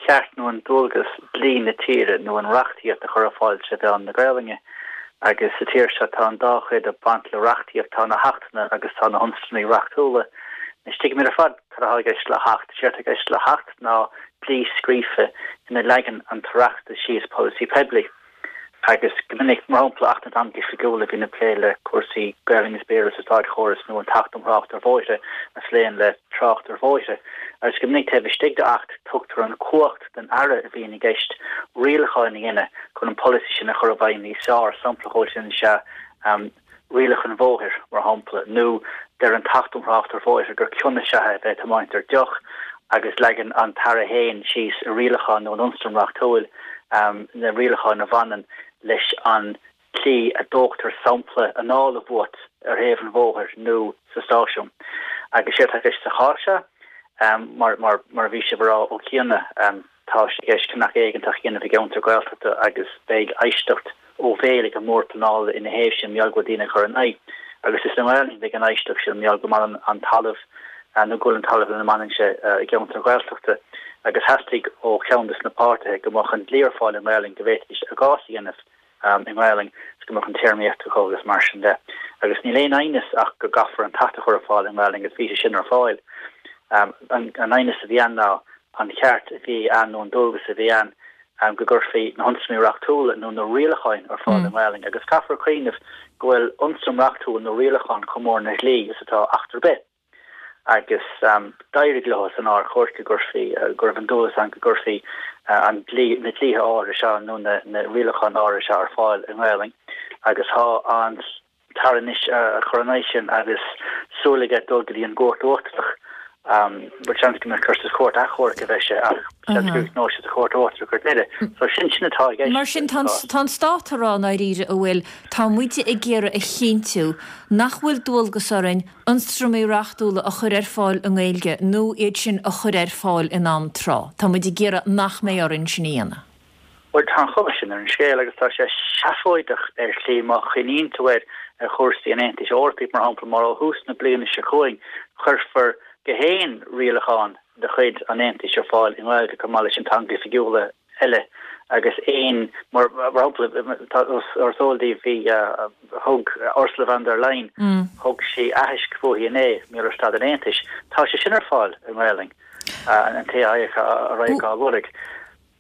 ceart nó an dualgas dlí na tíre nó an reachtaíocht a chur ar fáil tré mheán na Gaelainne. Agus sa tír seo tá an dá chuid ag baint le reachtaíocht, tá na hAchtanna agus tá na hionstraimí reachtúla. Anois tuigimid ar fad cad atá i gceist le hAcht. Séard atá i gceist le hAcht ná dlí scríofa ina leagann an tOireachtas síos polasaí poiblí. Agus go minic, mar shampla, Acht na dTeangacha Oifigiúla a bhíonn ag plé le cúrsaí Gaelainne is Béarla sa státchóras nó an tAcht um Thrácht ar Bhóithre a phléann le trácht ar bhóithre. Agus go minic taobh istigh d'Acht tugtar an chumhacht don Aire a bhíonn i gceist rialacháin a dhéanamh chun an polasaí sin a chur i bhfeidhm níos fearr. Sampla dhó sin is ea rialacha an bhóthair, mar shampla, nó deir an tAcht um Thrácht ar Bhóithre gur cion is ea é a bheith ag tiomáint ar deoch agus leagann an tAire féin síos i rialachán nó in ionstraim reachtúil na rialacháin a bhaineann leis an tslí a dtógtar sampla anála uait ar thaobh an bhóthair nó sa stáisiún. Agus séard atá i gceist sa chás seo, mar a bhí sibh a rá ó chiana, Tá sé i gceist ceannach éigeantach a dhéanamh i gceantar Gaeltachta agus beidh éisteacht ó bhéal ag an mBord Pleanála ina thaobh sin mar gheall go bhfuil daoine ag cur ina aghaidh. Agus is i nGaelainn a bheidh an éisteacht sin mar gheall go mbaineann an talamh nó go bhfuil an talamh lena mbaineann sé i gceantar Gaeltachta. Agus theastaigh ó cheann de na páirtithe go mbeadh an dlí ar fáil i nGaelainn go bhféadfaidís a gcás a dhéanamh. i nGaelainn is go mbeadh an téarmaíocht acu agus mar sin de. Agus níl aon aighneas ach go gcaithfear an tAcht a chur ar fáil i nGaelainn agus bhí sé sin ar fáil. An aighneas a bhí ann ná an ceart a bhí ann nó an dualgas a bhí ann go gcuirfí na hionstraimí reachtúla nó na rialacháin ar fáil i nGaelainn. Agus caithfear cuimhneamh go bhfuil ionstraim reachtúil nó rialachán chomh mór ina dhlí is atá Acht ar bith. agus d'éirigh leo san Ard-Chúirt go gcuirfí, go raibh an dualgas ann go gcuirfí an dlí, na dlíthe áirithe seo nó na na rialacháin áirithe seo ar fáil i nGaelainn agus tá an tAire anois ag cur ina aghaidh sin agus súil aige dul go dtí an gCúirt Uachtarach. Bhuel seans go mbeidh cur sa Chúirt Achomhairc a bheidh sé ach seans go gcríochnóidh sé sa Chúirt Uachtarach ar deireadh. So sin sin atá i gceist. Mar sin tá an Stát ag rá i ndáiríre an bhfuil, tá muide ag iarraidh a chinntiú nach bhfuil dualgas orainn ionstraimí reachtúla a chur ar fáil i nGaeilge nó iad sin a chur ar fáil in am tráth. Tá muid ag iarraidh nach mbeidh orainn sin a dhéanamh. Bhuel, tá an chuma sin ar an scéal agus tá sé seafóideach ar shlí má chuimhníonn tú air ar chúrsaí an Aontais Eorpaigh, mar shampla, mar ó thús na bliana seo chugainn cuirfear gach aon rialachán de chuid an Aontais ar fáil i nGaeilge chomh maith leis an teanga oifigiúla eile agus aon, mar shampla, tá, is eol daoibh, bhí, thug Ursula von der Leyen, thug sí aithisc fúithi inné, mar gheall ar staid an Aontais. Tá sé sin ar fáil i nGaelainn, an té a raghadh á lorg.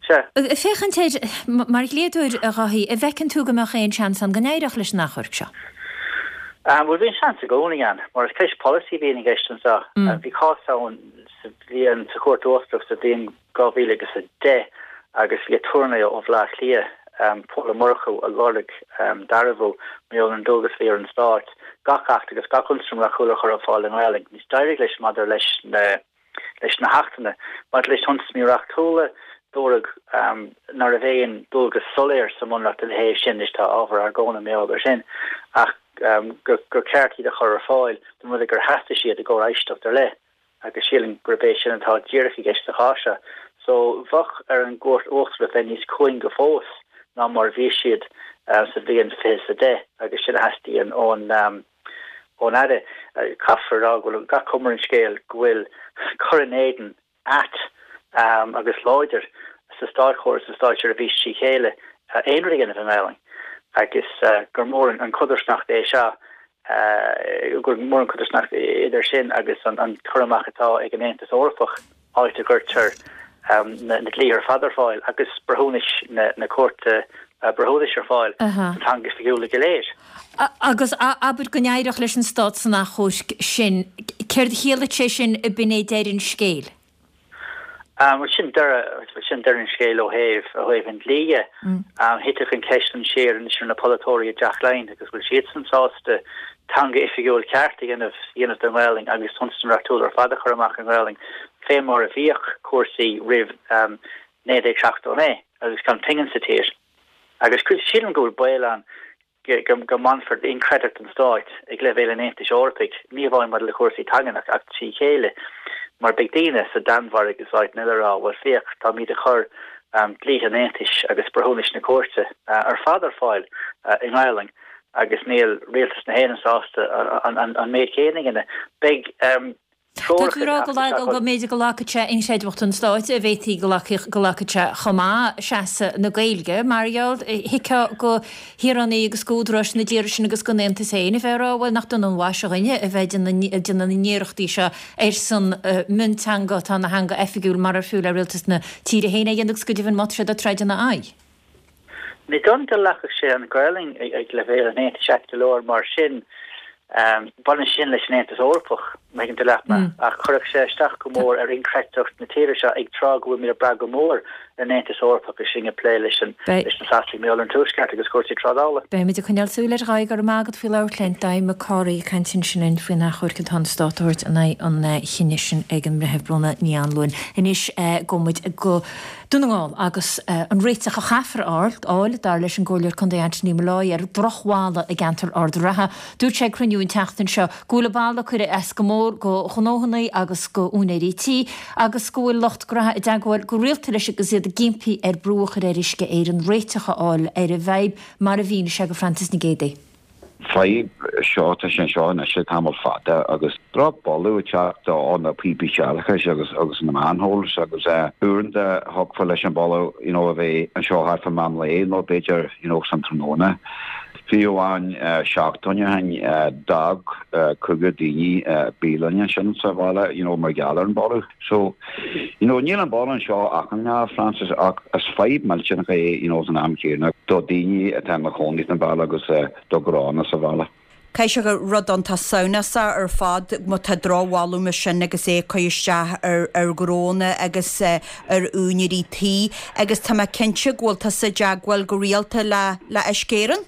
Sea. Ag féachaint air mar dhlíodóir, a Dháithí, an bhfeiceann tú go mbeadh aon seans ann go n-éireodh leis an achomharc seo? Bhuel, bhí an seans i gcónaí ann, mar is ceist polasaí a bhíonn i gceist anseo. Bhí cás ann sa bhliain, sa Chúirt Uachtarach sa bhliain 2010 agus bhí aturnae ó Bhaile Átha Cliath, Pól Ó Murchú, a lorg dearbhú mar gheall ar an dualgas a bhí ar an Stát gach acht agus gach ionstraim reachtúil a chur ar fáil i nGaelainn. Anois d'éirigh leis maidir leis na leis na hachtanna. Maidir leis na hionstraimí reachtúla, dúradh ná raibh aon dualgas soiléir sa mBunreacht ina thaobh sin, anois tá ábhar argóna mar gheall air sin, ach gur ceart iad a chur ar fáil dá mba rud é gur theastaigh siad i gcomhair éisteacht ar leith, agus sílim gurb é sin atá díreach i gceist sa chás seo. So, bheadh ar an gCúirt Uachtarach bheith níos cúinge fós ná mar a bhí siad sa bhliain 2010, agus sin a theastaíonn ón. ón Aire. Caithfear a rá go bhfuil gach cuma ar an scéal go bhfuil cur in éadan ait agus láidir sa státchóras, sa státseirbhís trí chéile aon rud a dhéanamh i nGaelainn agus gur mór an chodarsnacht é seo, gur mór an chodarsnacht idir sin agus an cur amach atá ag an Aontas Eorpach. áit a gcuirtear na dlíthe ar fad ar fáil agus breithiúnais na Cúirte Breithiúnais ar fáil sna teangacha oifigiúla go léir. Agus abair go n-éireodh leis an Stát san achomharc sin, céard a chiallódh sé sin ab in é deireadh an scéil? Bhuel, sin deireadh, sin deireadh an scéil ó thaobh, ó thaobh an dlí dhe. Thitfeadh an cheist ansin siar anois ar na polaiteoirí i dTeach Laighean agus bhfuil siadsan sásta teanga oifigiúil ceart a dhéanamh dhéanamh den Ghaelainn agus ionstraimí reachtúla ar fad a chur amach i nGaelainn fé mar a bhíodh cúrsaí roimh 1979 agus gan pingin sa tír. Agus sílim go bhfuil baol ann go mbainfear d'inchreidteacht an stáit ag leibhéal an Aontais Eorpaigh, ní amháin maidir le cúrsaí teangan ach trí chéile, mar beidh daoine sa Danmhairg agus áiteanna eile ag rá, bhuel féach, táimid ag cur dlíthe an Aontais agus breithiúnais na cúirte ar fad ar fáil i nGaelainn agus níl rialtas na hÉireann sásta an méid céanna a dhéanamh. Beidh Tá tú ag rá go lag go mb'fhéidir go lagfadh sé inchreidmheacht an stáit, a bhféadfaí go lagfadh sé chomh maith seasamh na Gaeilge, mar gheall, thuigfeá go shaoránaigh agus go údaráis na dtíortha sin agus don Aontas féin a bheith ag rá, bhuel, nach dona an mhaise dhuinne a bheith ag déanamh na n-iarrachtaí seo ar son mionteanga atá ina theanga oifigiúil marar fiú le rialtas na tíre féin é a dhéanamh agus go deimhin má tá siad ag troid ina aghaidh. Ní dóigh liom go lagfadh sé an Ghaelainn ag leibhéal an Aontais ait go leor mar sin, baineann sin leis an Aontas Eorpach, má thuigeann tú leat mé, ach chuirfeadh sé isteach go mór ar inchreidteacht na tíre seo ag tráth go bhfuilimid ag brath go mór ar an Aontas Eorpach agus sinn ag plé leis na Sasanaigh mar gheall ar an Tuaisceart agus cúrsaí trádála. Beimid ag coinneáil súil air, a Dháithí, go raibh maith agat faoi labhairt linn. Dáithí Mac Cárthaigh ag caint ansin linn faoin achomharc atá an Stát a thabhairt in aghaidh an chinnidh sin ag an mBreitheamh Bróna Ní Anluain. Anois gabhfaidh muid go. Dún na nGall, agus an réiteach a chaithfear a fháil, dar leis an gComhairleoir Contae Anthony Molloy, ar dhrochbhallaí i gceantar Ard an Rátha. Dúirt sé ag cruinniú an tseachtain seo go bhfuil na ballaí ag cur as go mór go ghnóthanna agus go úinéirí tí agus go bhfuil lucht graithe i dteagmháil go rialta leis agus iad ag impí air brú a chur ar Uisce Éireann réiteach a fháil ar an bhfadhb, mar a mhínigh sé go Francis Nic Géadaigh. fadhb seo, tá sé anseo anois le tamall fada agus drochbholadh ag teacht ó na píopaí séarachais agus agus na manholes agus uaireanta thiocfadh leis an boladh you know a bheith anseo thart fá meán lae nó b'fhéidir you know san tráthnóna. Fiú amháin seachtain ó shin d'fhág cúigear daoine bialann ansin sa bhaile you know mar gheall ar an boladh. So, you know, níl an boladh anseo achan lá, Francis, ach is fadhb millteanach é, you know, san am céanna do daoine atá ina chónaí san bhaile agus do ghnónna sa bhaile. Caithfidh sé gur rud iontach samhnasach ar fad má tá drochbholadh mar sin agus é ag cur isteach ar ar ghnónna agus ar úinéirí tí agus tá mé cinnte go bhfuil tusa i dteagmháil go rialta le le Uisce Éireann?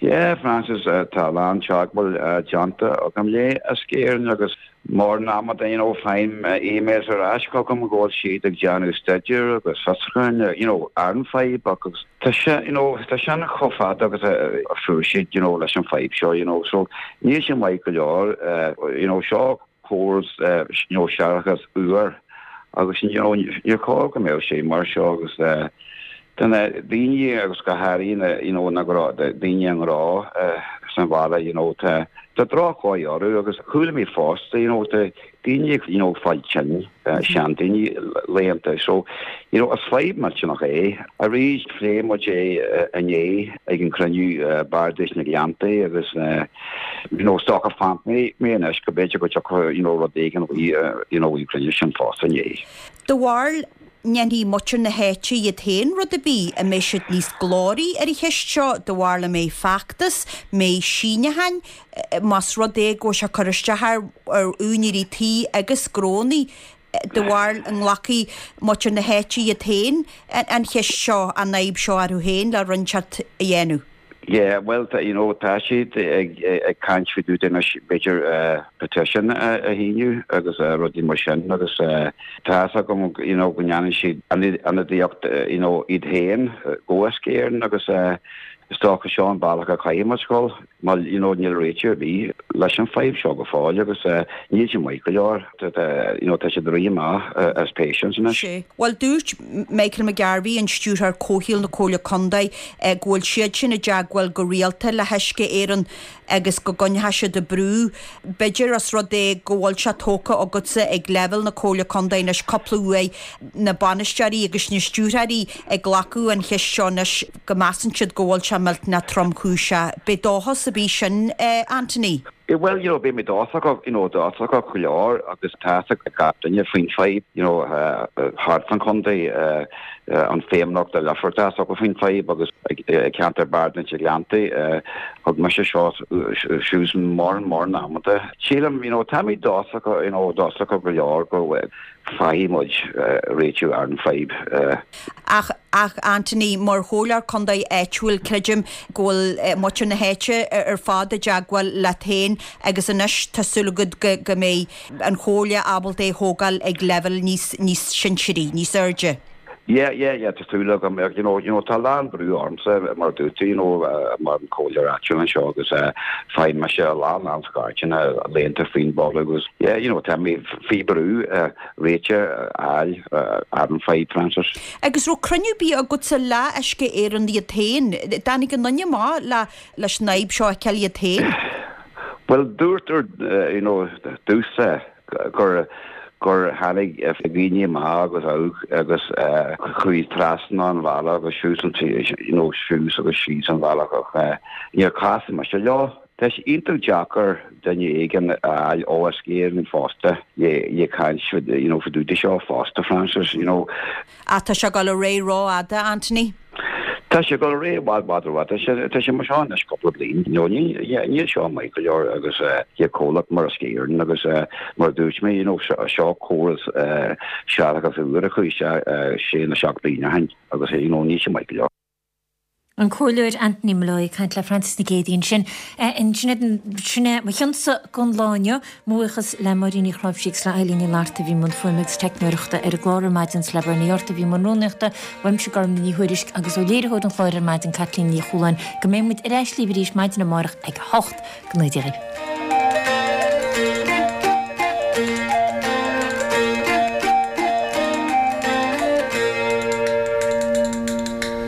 Yeah, Francis, tá a lán teagmháil déanta agam le Uisce Éireann agus Mórán ama you know faighim emails ar ais chugam go bhfuil siad ag déanamh staidéir agus fiosrúcháin you know ar an fadhb agus tá sé you know tá sin chomh fada agus a fuair siad you know leis an fadhb seo you know so níl sé maith go leor you know seo córas you know séarachais úr agus you know níor chóir go mbeadh sé mar seo agus Do na daoine agus go háirithe na you know na gnó daoine i ngnó san bhaile you know tá tá drochdhóigh orthu agus chuala mé fosta you know tá daoine you know ag fáil tinn seandaoine laethanta so you know is fadhb millteanach é. Arís phléigh muid é inné ag an cruinniú Bardais na Gleanntaí agus you know is dócha fanfaidh mé anois go b'fhéidir go dtiocfadh you know rud éigin you know ón cruinniú sin fosta inné. Do bharúil. ndéanfaidh muintir na háite iad féin rud ar bith, an mbeidh siad níos glóraí ar an cheist seo, do bharúil an mbeidh feachtas, mbeidh síneacháin, más rud é go bhfuil sé ag cur isteach ar úinéirí tí agus gnónnaí, do bharúil an nglacfaidh muintir na háite iad féin an cheist seo, an fhadhb seo orthu féin le rud inteacht a dhéanamh? Yeah, bhuel, you know, tá siad ag caint faoi dtaobh de anois, b'fhéidir petition a shíniú agus rudaí mar sin agus tá fhios agam, you know, go ndéanann siad ionadaíocht, you know, iad féin go Uisce Éireann agus is dócha seo an bealach a chaithfidh muid dul. Mar, you know, níl réiteach ar bith leis an fadhb seo go fóill agus níl sé maith go leor. You know, tá siad ag rith amach as patience anois. Sea. Bhuel, dúirt Michael McGarvey, an Stiúrthóir Comhshaoil na Comhairle Contae, go bhfuil siad sin i dteagmháil go rialta le hUisce Éireann agus go gcoinneoidh siad ag brú. B'fhéidir os rud é go bhfuil sé tógtha agatsa ag leibhéal na Comhairle Contae anois cúpla uair, na bainisteoirí agus na stiúrthóirí ag glacadh an cheist seo anois, go measann siad go bhfuil sé millteanach tromchúiseach. B'é dóchas a bhí sin, Anthony? Bhuel, you know, beidh mé dóchasach, you know, dóchasach go leor agus tá fhios ag gach duine faoin fadhb, you know, thart fan chontae, an Feidhmeannacht i Leifear, tá fhios acu faoin fadhb agus i gceantar Bardais na Gleanntaí, thug mise seo suas mórán mórán amanta. Sílim, you know, tá mé dóchasach, you know, dóchasach go leor go bhfaighidh muid réiteach ar an fadhb. Ach, ach Anthony, mar chomhairleoir contae áitiúil, creidim go bhfuil muintir na háite ar fad i dteagmháil leat féin agus anois tá súil agat go, go mbeidh an chomhairle ábalta é a thógáil ag leibhéal níos, níos sinsearaí, níos airde. Yeah, yeah, yeah, tá súil agam, you know, you know, tá a lán brú ormsa, mar a dúirt tú, you know, mar an comhairleoir áitiúil anseo agus faigheann mise a lán, lán scairteanna laethanta faoin boladh agus, yeah, you know, tá mé faoi brú réiteach a fháil ar an fadhb, Francis. Agus raibh cruinniú ar bith agatsa le Uisce Éireann iad féin? Dtáinig aon duine amach le, leis an fhadhb seo a fheiceáil iad féin? Bhuel, dúrtar, you know, domhsa, gur gur tháinig daoine amach agus amach agus chuaigh trasna an bhealaigh agus suas an you know suas agus síos an bhealach ach níor chas mise leo. Tá sé iontach deacair duine éigin a fháil ó Uisce Éireann fosta le le caint you know fá dtaobh de seo fosta Francis you know. Ach tá sé ag dul ar aghaidh rófhada, Anthony. Tá sé ag dul ar aghaidh i bhfad bhfad rófhada. Tá sé mar seo anois cúpla bliain. You know, níl seo maith go leor agus le comhlacht mar Uisce Éireann agus mar a dúirt mé, you know, seo córas séarachais úr a chuaigh isteach sé nó 7 bliain ó shin agus you know, níl sé maith go leor. An Comhairleoir Anthony Molloy ag caint le Frances Nic Géadaigh ansin. Sin é mo chionsa don lá inniu. Mo bhuíochas le Máirín Ní Chnáimhsí agus le Eilín Ní Fhlatharta a bhí i mbun fuaime agus teicneoireachta ar an gclár ar maidin is le Bernie Yortt a bhí i mbun rúnaíochta. Uaimse Gormlaith Ní Thuairisg agus ó léiritheoir an chláir ar maidin Caitlín Ní Chualáin go mbeidh muid ar ais libh arís maidin amárach ag 8. Go ngnóthaí Dia dhaoibh.